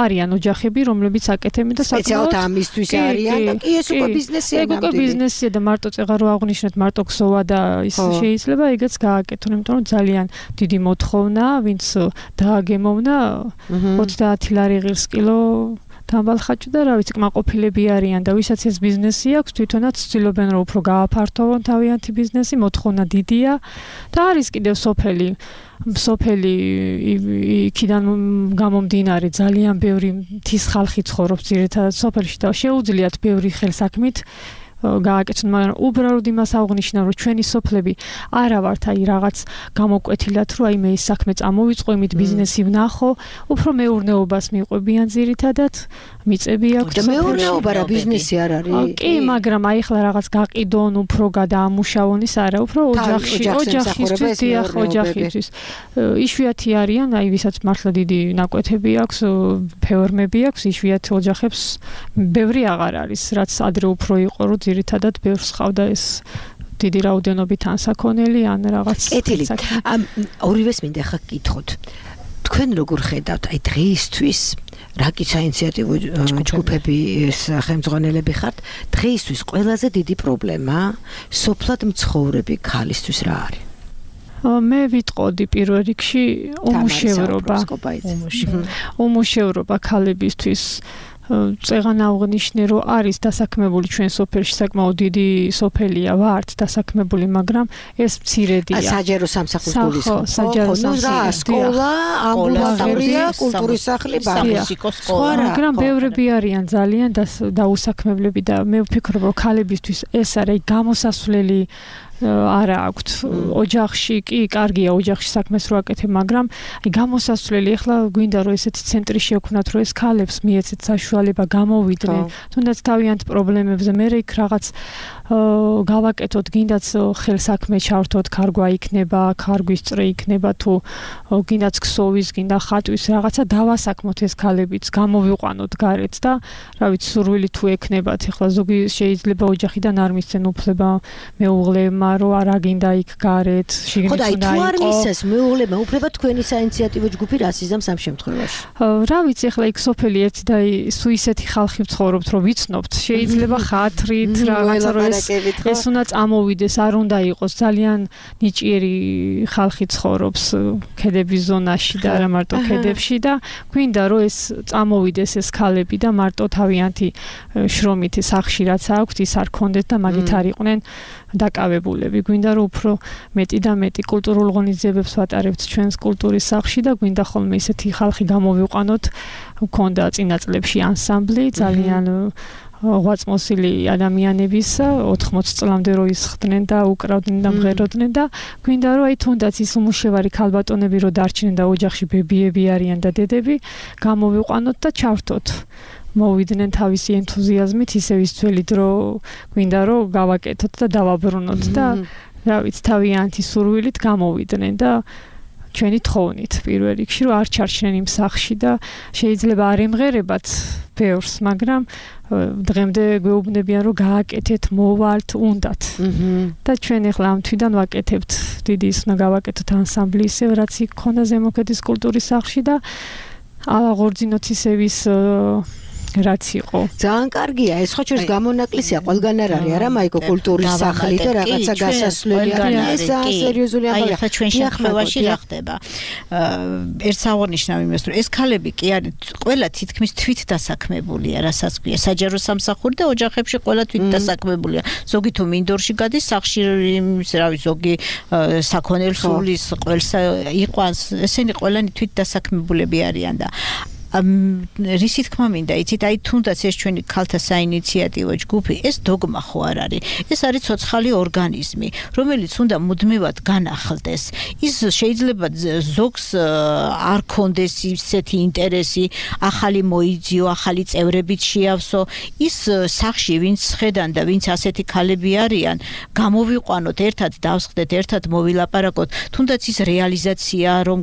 არიან ოჯახები რომლებიც აკეთებენ და საკმაოდ ამისთვის არიან და კი ეს უკვე ბიზნესია ეგ უკვე ბიზნესია და მარტო წეღა რო აღნიშნეთ მარტო ქსოვა და ის შეიძლება ეგეც გააკეთონ იმიტომ რომ ძალიან დიდი მოთხოვნა ვინც დააგემოვნა ოცდაათი ლარი ღირს კილო დამბალ ხაჭო და რა ვიცი კმაყოფილები არიან და ვისაც ეს ბიზნესი აქვს თვითონაც ცდილობენ რომ უფრო გააფართოვონ თავიანთი ბიზნესი მოთხოვნა დიდია და არის კიდევ სოფელი სოფელი იქიდან გამომდინარე ძალიან ბევრი მთის ხალხი ცხოვრობს ძირითადად სოფელში და შეუძლიათ ბევრი ხელსაქმით გააკეთონ მაგრამ უბრალოდ იმას აღნიშნა რომ ჩვენი სოფლები არა ვართ აი რაღაც გამოკვეთილად რომ აი მე ის საქმე წამოვიწყო იმით ბიზნესი ვნახო უფრო მეურნეობას მიყვებიან ძირითადად მიწები აქვს და მეურნეობა რა ბიზნესი არ არის კი მაგრამ აი ხლა რაღაც გაყიდონ უფრო გადაამუშავონ ის არა უფრო ოჯახში ოჯახისთვის დიახ ოჯახისთვის იშვიათი არიან აი ვისაც მართლა დიდი ნაკვეთები აქვს ფეორმები აქვს იშვიათ ოჯახებს ბევრი აღარ არის რაც ადრე უფრო იყო რომ ძირითადად ბევრს ხავდა ეს დიდი რაოდენობით ან საქონელი ან რაღაც კეთილი ორივეს მინდა ხა გკითხოთ თქვენ როგორ ხედავთ აი დღეისთვის რაკიცა ინიციატივო ჯგუფები სახელმძღვანელები ხართ დღეისთვის ყველაზე დიდი პრობლემა სოფლად მცხოვრები ქალისთვის რა არის მე ვიტყოდი პირველ რიგში უმუშევრობა უმუშევრობა ქალებისთვის წეგან აღნიშნე რომ არის დასაქმებული ჩვენ სოფელში საკმაოდ დიდი სოფელია ვართ დასაქმებული მაგრამ ეს მცირედია საჯარო სამსახურის ხო საჯარო სკოლა ამბულატორია კულტურის სახლი სამუსიკო სკოლა მაგრამ ბევრები არიან ძალიან დაუსაქმებლები და მე ვფიქრობ რომ ქალებისთვის ეს არის გამოსასვლელი არა აქვთ ოჯახში კი კარგია ოჯახში საქმეს რო აკეთებ მაგრამ აი გამოსასვლელი ახლა გვინდა რომ ესეთი ცენტრი შევქნათ რომ ეს ქალებს მიეცეთ საშუალება გამოვიდნენ თუნდაც თავიანთ პრობლემებზე მე იქ რაღაც გავაკეთოთ გინდაც ხელსაქმე ჩავრთოთ ქარგვა იქნება ქარგვის წრე იქნება თუ გინდაც ქსოვის გინდა ხატვის რაღაცა დავასაქმოთ ეს ქალებიც გამოვიყვანოთ გარეთ და რა ვიცი სურვილი თუ ექნებათ ახლა ზოგი შეიძლება ოჯახიდან არ მისცენ უფლება მეუღლეებმა რომ არა გინდა იქ გარეთ შიგნით უნდა იყო. ხო და თუ არ მისცეს მეუღლეებმა უფლება თქვენი საინიციატივო ჯგუფი რას იზამს ამ შემთხვევაში? რა ვიცი ახლა იქ სოფელი ერთი და სუ ისეთი ხალხი ვცხოვრობთ რომ ვიცნობთ შეიძლება ხათრით რაღაცა რომ ეს უნდა წამოვიდეს არ უნდა იყოს ძალიან ნიჭიერი ხალხი ცხოვრობს ქედების ზონაში და არა მარტო ქედებში და გვინდა რომ ეს წამოვიდეს ეს ქალები და მარტო თავიანთი შრომითი სახში რაც აქვთ ის არ ქონდეთ და მაგით არ იყვნენ დაკავებულები გვინდა რომ უფრო მეტი და მეტი კულტურულ ღონისძიებებს ვატარებთ ჩვენს კულტურის სახში და გვინდა ხოლმე ისეთი ხალხი გამოვიყვანოთ გქონდა წინა წლებში ანსამბლი ძალიან ღვაწმოსილი ადამიანების ოთხმოცი წლამდე რო ისხდნენ და უკრავდნენ და მღეროდნენ და გვინდა რომ აი თუნდაც ის უმუშევარი ქალბატონები რო დარჩნენ და ოჯახში ბებიები არიან და დედები გამოვიყვანოთ და ჩავრთოთ მოვიდნენ თავისი ენთუზიაზმით ისევ ის ძველი დრო გვინდა რომ გავაკეთოთ და დავაბრუნოთ და რა ვიცი თავიანთი სურვილით გამოვიდნენ და ჩვენი თხოვნით პირველ რიგში რომ არ ჩარჩნენ იმ სახში და შეიძლება არ ემღერებათ ბევრს მაგრამ დღემდე გვეუბნებიან რომ გააკეთეთ მოვალთ უნდათ და ჩვენ ახლა ამ თვიდან ვაკეთებთ დიდი ის უნდა გავაკეთოთ ანსამბლი ისევ რაც იქ ქონდა ზემოქედის კულტურის სახში და აღორძინოთ ისევ ის რაც იყო. ძალიან კარგია, ეს ხო ჩვენს გამონაკლისია, ყველგან არ არის არა მაიკო კულტურის სახლი და რაღაცა გასასვლელი არის. ეს ძალიან სერიოზული ამბავია. აი, ხა ჩვენ შემთხვევაში რა ხდება? ერთ აღნიშნავ იმას, რომ ეს ქალები კი არის ყველა თითქმის თვით დასაქმებულია, რასაც ქვია, საჯარო სამსახური და ოჯახებში ყველა თვით დასაქმებულია. ზოგი თუ მინდორში გადის, სახში რა ვიცი, ზოგი საქონელსულის ყველსა იყვანს, ესენი ყველანი თვით დასაქმებულები არიან და რისი თქმა მინდა იცით აი თუნდაც ეს ჩვენი ქალთა საინიციატივო ჯგუფი ეს დოგმა ხო არ არის ეს არის ცოცხალი ორგანიზმი რომელიც უნდა მუდმივად განახლდეს ის შეიძლება ზოგს არ კონდეს ისეთი ინტერესი ახალი მოიძიო ახალი წევრებიც შეავსო ის სახში ვინც ხედან და ვინც ასეთი ქალები არიან გამოვიყვანოთ ერთად დავსხდეთ ერთად მოვილაპარაკოთ თუნდაც ის რეალიზაცია რომ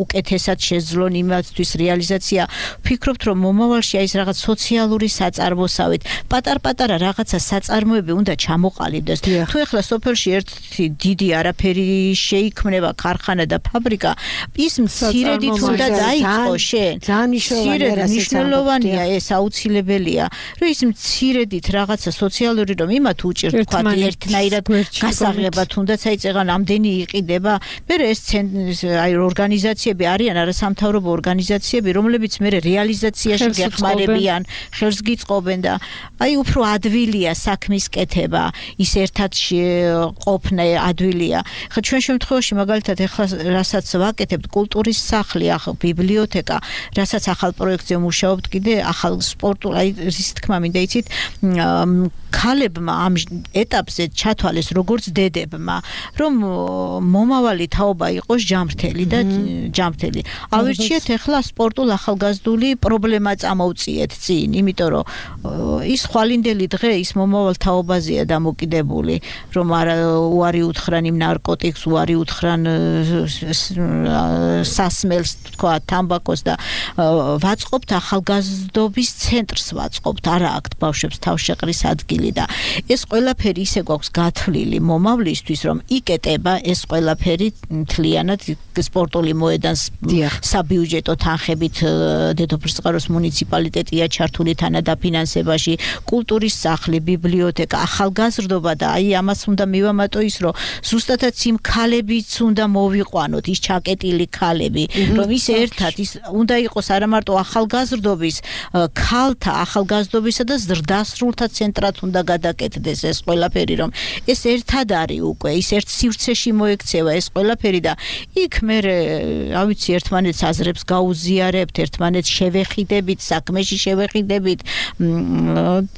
უკეთესად შეძლონ იმათთვის რეალიზაცია ფიქრობთ რომ მომავალში აი ეს რაღაც სოციალური საწარმოსავით პატარ-პატარა რაღაცა საწარმოები უნდა ჩამოყალიბდეს თუ ეხლა სოფელში ერთი დიდი არაფერი შეიქმნება ქარხანა და ფაბრიკა ის მცირედით უნდა დაიწყო შენ ძალიან მნიშვნელოვანია ეს აუცილებელია რომ ის მცირედით რაღაცა სოციალური რომ იმათ უჭირთ თქვა ერთნაირად გასაღება თუნდაც აი წეგან ამდენი იყიდება მე ეს აი ორგანიზაციები არიან არასამთავრობო ორგანიზაციები რომლებიც მე რეალიზაციაში გეხმარებიან, ხელს გიწყობენ და აი უფრო ადვილია საქმის კეთება, ის ერთად ყოფნა ადვილია. ხა ჩვენ შემთხვევაში მაგალითად ეხლა რასაც ვაკეთებთ კულტურის სახლი, ახალ ბიბლიოთეკა, რასაც ახალ პროექტზე მუშაობთ კიდე ახალ სპორტულ, აი რის თქმა მინდა იცით, ქალებმა ამ ეტაპზე ჩათვალეს როგორც დედებმა, რომ მომავალი თაობა იყოს ჯამრთელი და ჯამრთელი. ავირჩიეთ ეხლა სპორტულ ახალგაზრდ ახალგაზრდული პრობლემა წამოვწიეთ წინ, იმიტომ რომ ის ხვალინდელი დღე ის მომავალ თაობაზეა დამოკიდებული, რომ არა უარი უთხრან იმ ნარკოტიკს, უარი უთხრან სასმელს, თქვა, თამბაქოს და ვაწყობთ ახალგაზრდობის ცენტრს ვაწყობთ, არა აქ ბავშვებს თავშეყრის ადგილი და ეს ყველაფერი ისე გვაქვს გათვლილი მომავლისთვის, რომ იკეტება ეს ყველაფერი მთლიანად სპორტული მოედანს საბიუჯეტო თანხებით დედოფლისწყაროს მუნიციპალიტეტია ჩართული თანადაფინანსებაში, კულტურის სახლი, ბიბლიოთეკა, ახალგაზრდობა და აი ამას უნდა მივამატო ის, რომ ზუსტადაც იმ ქალებიც უნდა მოვიყვანოთ, ის ჩაკეტილი ქალები, რომ ის ერთად ის უნდა იყოს არა მარტო ახალგაზრდობის, ქალთა ახალგაზრდობისა და ზრდასრულთა ცენტრად უნდა გადაკეთდეს ეს ყველაფერი, რომ ეს ერთად არის უკვე, ის ერთ სივრცეში მოექცევა ეს ყველაფერი და იქ მე რა ვიცი ერთმანეთს აზრებს გაუზიარებთ, ერთმანეთს შევეხიდებით, საქმეში შევეხიდებით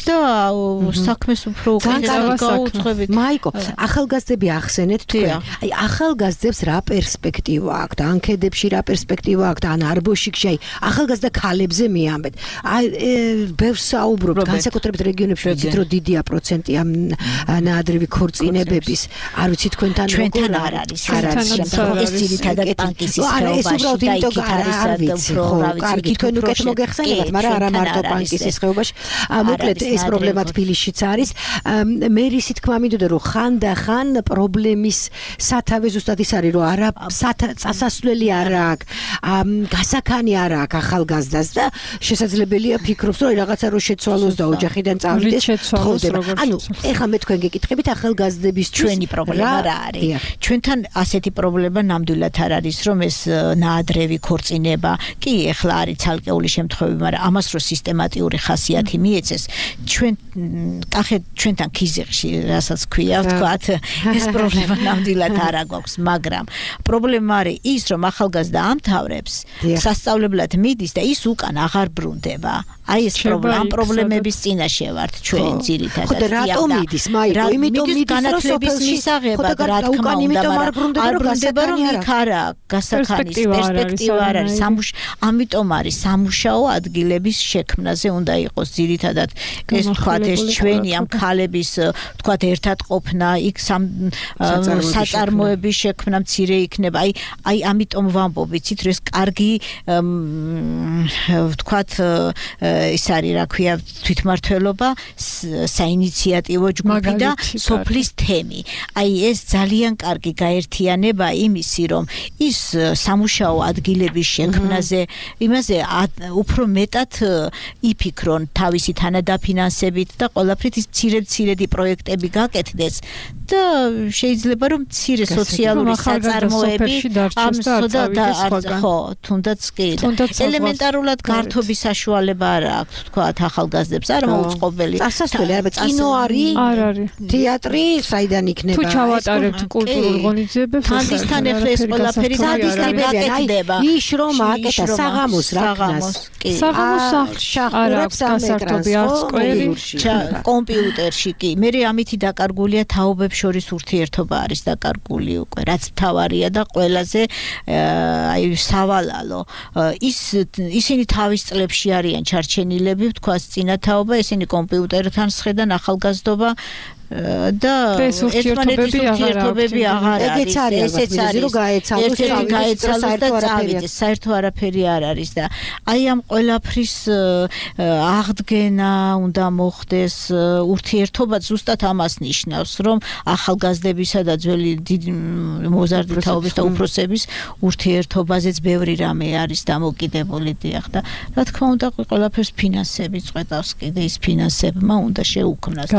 და საქმეს უფრო გაუძღვებით. მაიკო, ახალგაზრდები ახსენეთ თქვენ. აი ახალგაზრდებს რა პერსპექტივა აქვს? ანკეტებში რა პერსპექტივა აქვს? ან არბოშიკში აი ახალგაზრდა ქალებზე მიამბეთ. აი ბევრს საუბრობთ, განსაკუთრებით რეგიონებში, ვიცით რომ დიდია პროცენტი ამ ნაადრევი ქორწინებების. არ ვიცი თქვენთან როგორ არის? ეს ძირითადად პანკისის ხეობაში და იქით არის უფრო რა ვიცი, კარგი თქვენ უკეთ მოგეხსენებათ, მაგრამ არა მარტო პანკისის ხეობაში. მოკლედ ეს პრობლემა თბილისშიც არის. მე რისი თქმა მინდოდა რომ ხანდახან პრობლემის სათავე ზუსტად ის არის რომ არა წასასვლელი არ აქვს, გასაქანი არ აქვს ახალგაზრდას და შესაძლებელია ფიქრობს რომ რაღაცა რო შეცვალოს და ოჯახიდან წავიდეს თხოვდება. ანუ ეხლა მე თქვენ გეკითხებით ახალგაზრდების ჩვენი პრობლემა რა არის? ჩვენთან ასეთი პრობლემა ნამდვილად არ არის, რომ ეს ნაადრევი ქორწინება, კი ეხლა არის ცალკეული შემთხვევები, მაგრამ ამას რო სისტემატიური ხასიათი მიეცეს, ჩვენ კახეთ ჩვენთან ქიზიყში, რასაც ქვია, ვთქვათ, ეს პრობლემა ნამდვილად არ აგვაქვს, მაგრამ პრობლემა არის ის, რომ ახალგაზრდა ამთავრებს, სასწავლებლად მიდის და ის უკან აღარ ბრუნდება. აი ეს პრობლემა, პრობლემების წინაშე ვართ ჩვენ ძირითადად. ხო და რატომ მიდის, მაიკო? იმიტომ მიდის განათლების მისაღებად, რა თქმა უნდა, არ ბრუნდება, რომ იქ არა გასახანის პერსპექტივა არ არის. ამიტომ არის სამუშაო ადგილების შექმნაზე უნდა იყოს ძირითადად ეს თქვათ ეს ჩვენი ამ ქალების თქვათ ერთად ყოფნა, იქ საწარმოების შექმნა მცირე იქნება. აი აი ამიტომ ვამბობ, ვიცით, რომ ეს კარგი თქვათ ის არის რა ქვია თვითმმართველობა, საინიციატივო ჯგუფი და სოფლის თემი. აი ეს ძალიან კარგი გაერთიანება იმისი, რომ ის სამუშაო ადგილების შექმნაზე, იმაზე უფრო მეტად იფიქრონ თავისი თანადაფინანსებით და ყველაფრით ის მცირე-მცირედი პროექტები გაკეთდეს და შეიძლება რომ მცირე სოციალური საწარმოები ამ და ხო, თუნდაც კი. ელემენტარულად გართობის საშუალება არ აქვს, თქვათ, ახალგაზრდებს არ მოუწყობელი. წასასვლელი არა, კინო არის, არ არის. თეატრი, საიდან იქნება? თუ ჩავატარებთ კულტურულ ღონისძიებებს, თანდისთან ახლა ეს ყველაფერი გაკეთდება. ის რომ აკეთა საღამოს რაკნას. საღამოს სახლში არ აქვს გასართობი არც კვერი. კომპიუტერში კი. მე ამითი დაკარგულია თაობებს შორის ურთიერთობა არის დაკარგული უკვე, რაც მთავარია და ყველაზე აი სავალალო. ის ისინი თავის წლებში არიან ჩარჩენილები, ვთქვათ, წინათაობა, ესენი კომპიუტერთან სხედან ახალგაზრდობა და ერთმანეთის ურთიერთობები აღარ არის. ესეც არის რომ გაეცალოს და წავიდეს, საერთო არაფერი არ არის და აი ამ ყველაფრის აღდგენა უნდა მოხდეს. ურთიერთობა ზუსტად ამას ნიშნავს, რომ ახალგაზრდებისა და ძველი მოზარდი თაობის და უფროსების ურთიერთობაზეც ბევრი რამე არის დამოკიდებული დიახ და რა თქმა უნდა ყველაფერს ფინანსები წვეტავს კიდე ის ფინანსებმა უნდა შეუქმნას.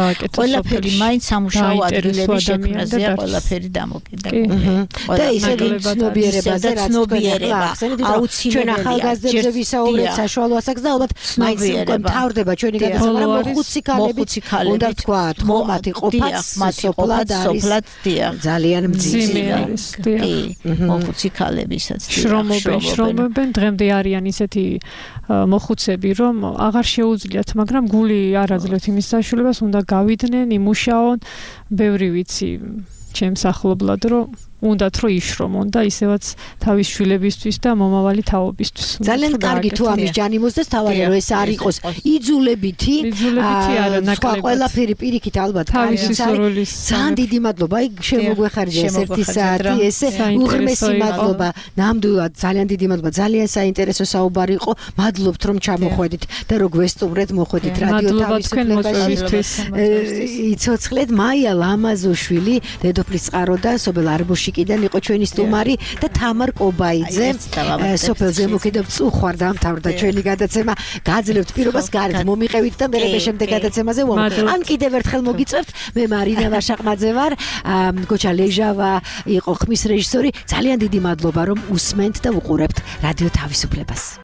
ყველაფერი მაინც სამუშაო ადგილების შექმნაზეა ყველაფერი დამოკიდებული. და ისე ცნობიერებაზე რაც ცნობიერება აუცილებელი ახალგაზრდებზე ვისაუბრეთ საშუალო ასაკს და ალბათ მაინც უკვე მთავრდება ჩვენი გადაცემა, მაგრამ მოხუცი ქალები უნდა ვთქვათ, ხომათი ყოფაც სოფლად არის ძალიან მძიმე არის. კი, მოხუცი ქალებისაც შრომობენ, შრომობენ, დღემდე არიან ისეთი მოხუცები, რომ აღარ შეუძლიათ, მაგრამ გული არ აძლევთ იმის საშუალებას, უნდა გავიდნენ, იმუშაონ, ბევრი ვიცი ჩემს ახლობლად, რომ უნდათ რომ იშრომონ და ისევაც თავის შვილებისთვის და მომავალი თაობისთვის. ძალიან კარგი თუ ამის ჯანი მოსდეს, თავარია რომ ეს არ იყოს იძულებითი. იძულებითი არა, ნაკლებად. ყველაფერი პირიქით ალბათ თავისი სურვილის. ძალიან დიდი მადლობა. აი შემოგვეხარჯა ეს ერთი საათი, ესე უღრმესი მადლობა. ნამდვილად ძალიან დიდი მადლობა. ძალიან საინტერესო საუბარი იყო. მადლობთ რომ ჩამოხვედით და რომ გვესტუმრეთ, მოხვედით რადიო თავისუფლებაში. იცოცხლეთ მაია ლამაზოშვილი, დედოფლის წყარო და სოფელ არბოშიკიდან იყო ჩვენი სტუმარი და თამარ კობაიძე. სოფელ ზემოქედან წუხვარ დამთავრდა ჩვენი გადაცემა. გაძლევთ პირობას გარეთ მომიყევით და მერე შემდეგ გადაცემაზე ვამბობ. ან კიდევ ერთხელ მოგიწევთ. მე მარინა ვაშაყმაძე ვარ. გოჩა ლეჟავა იყო ხმის რეჟისორი. ძალიან დიდი მადლობა რომ უსმენთ და უყურებთ რადიო თავისუფლებას.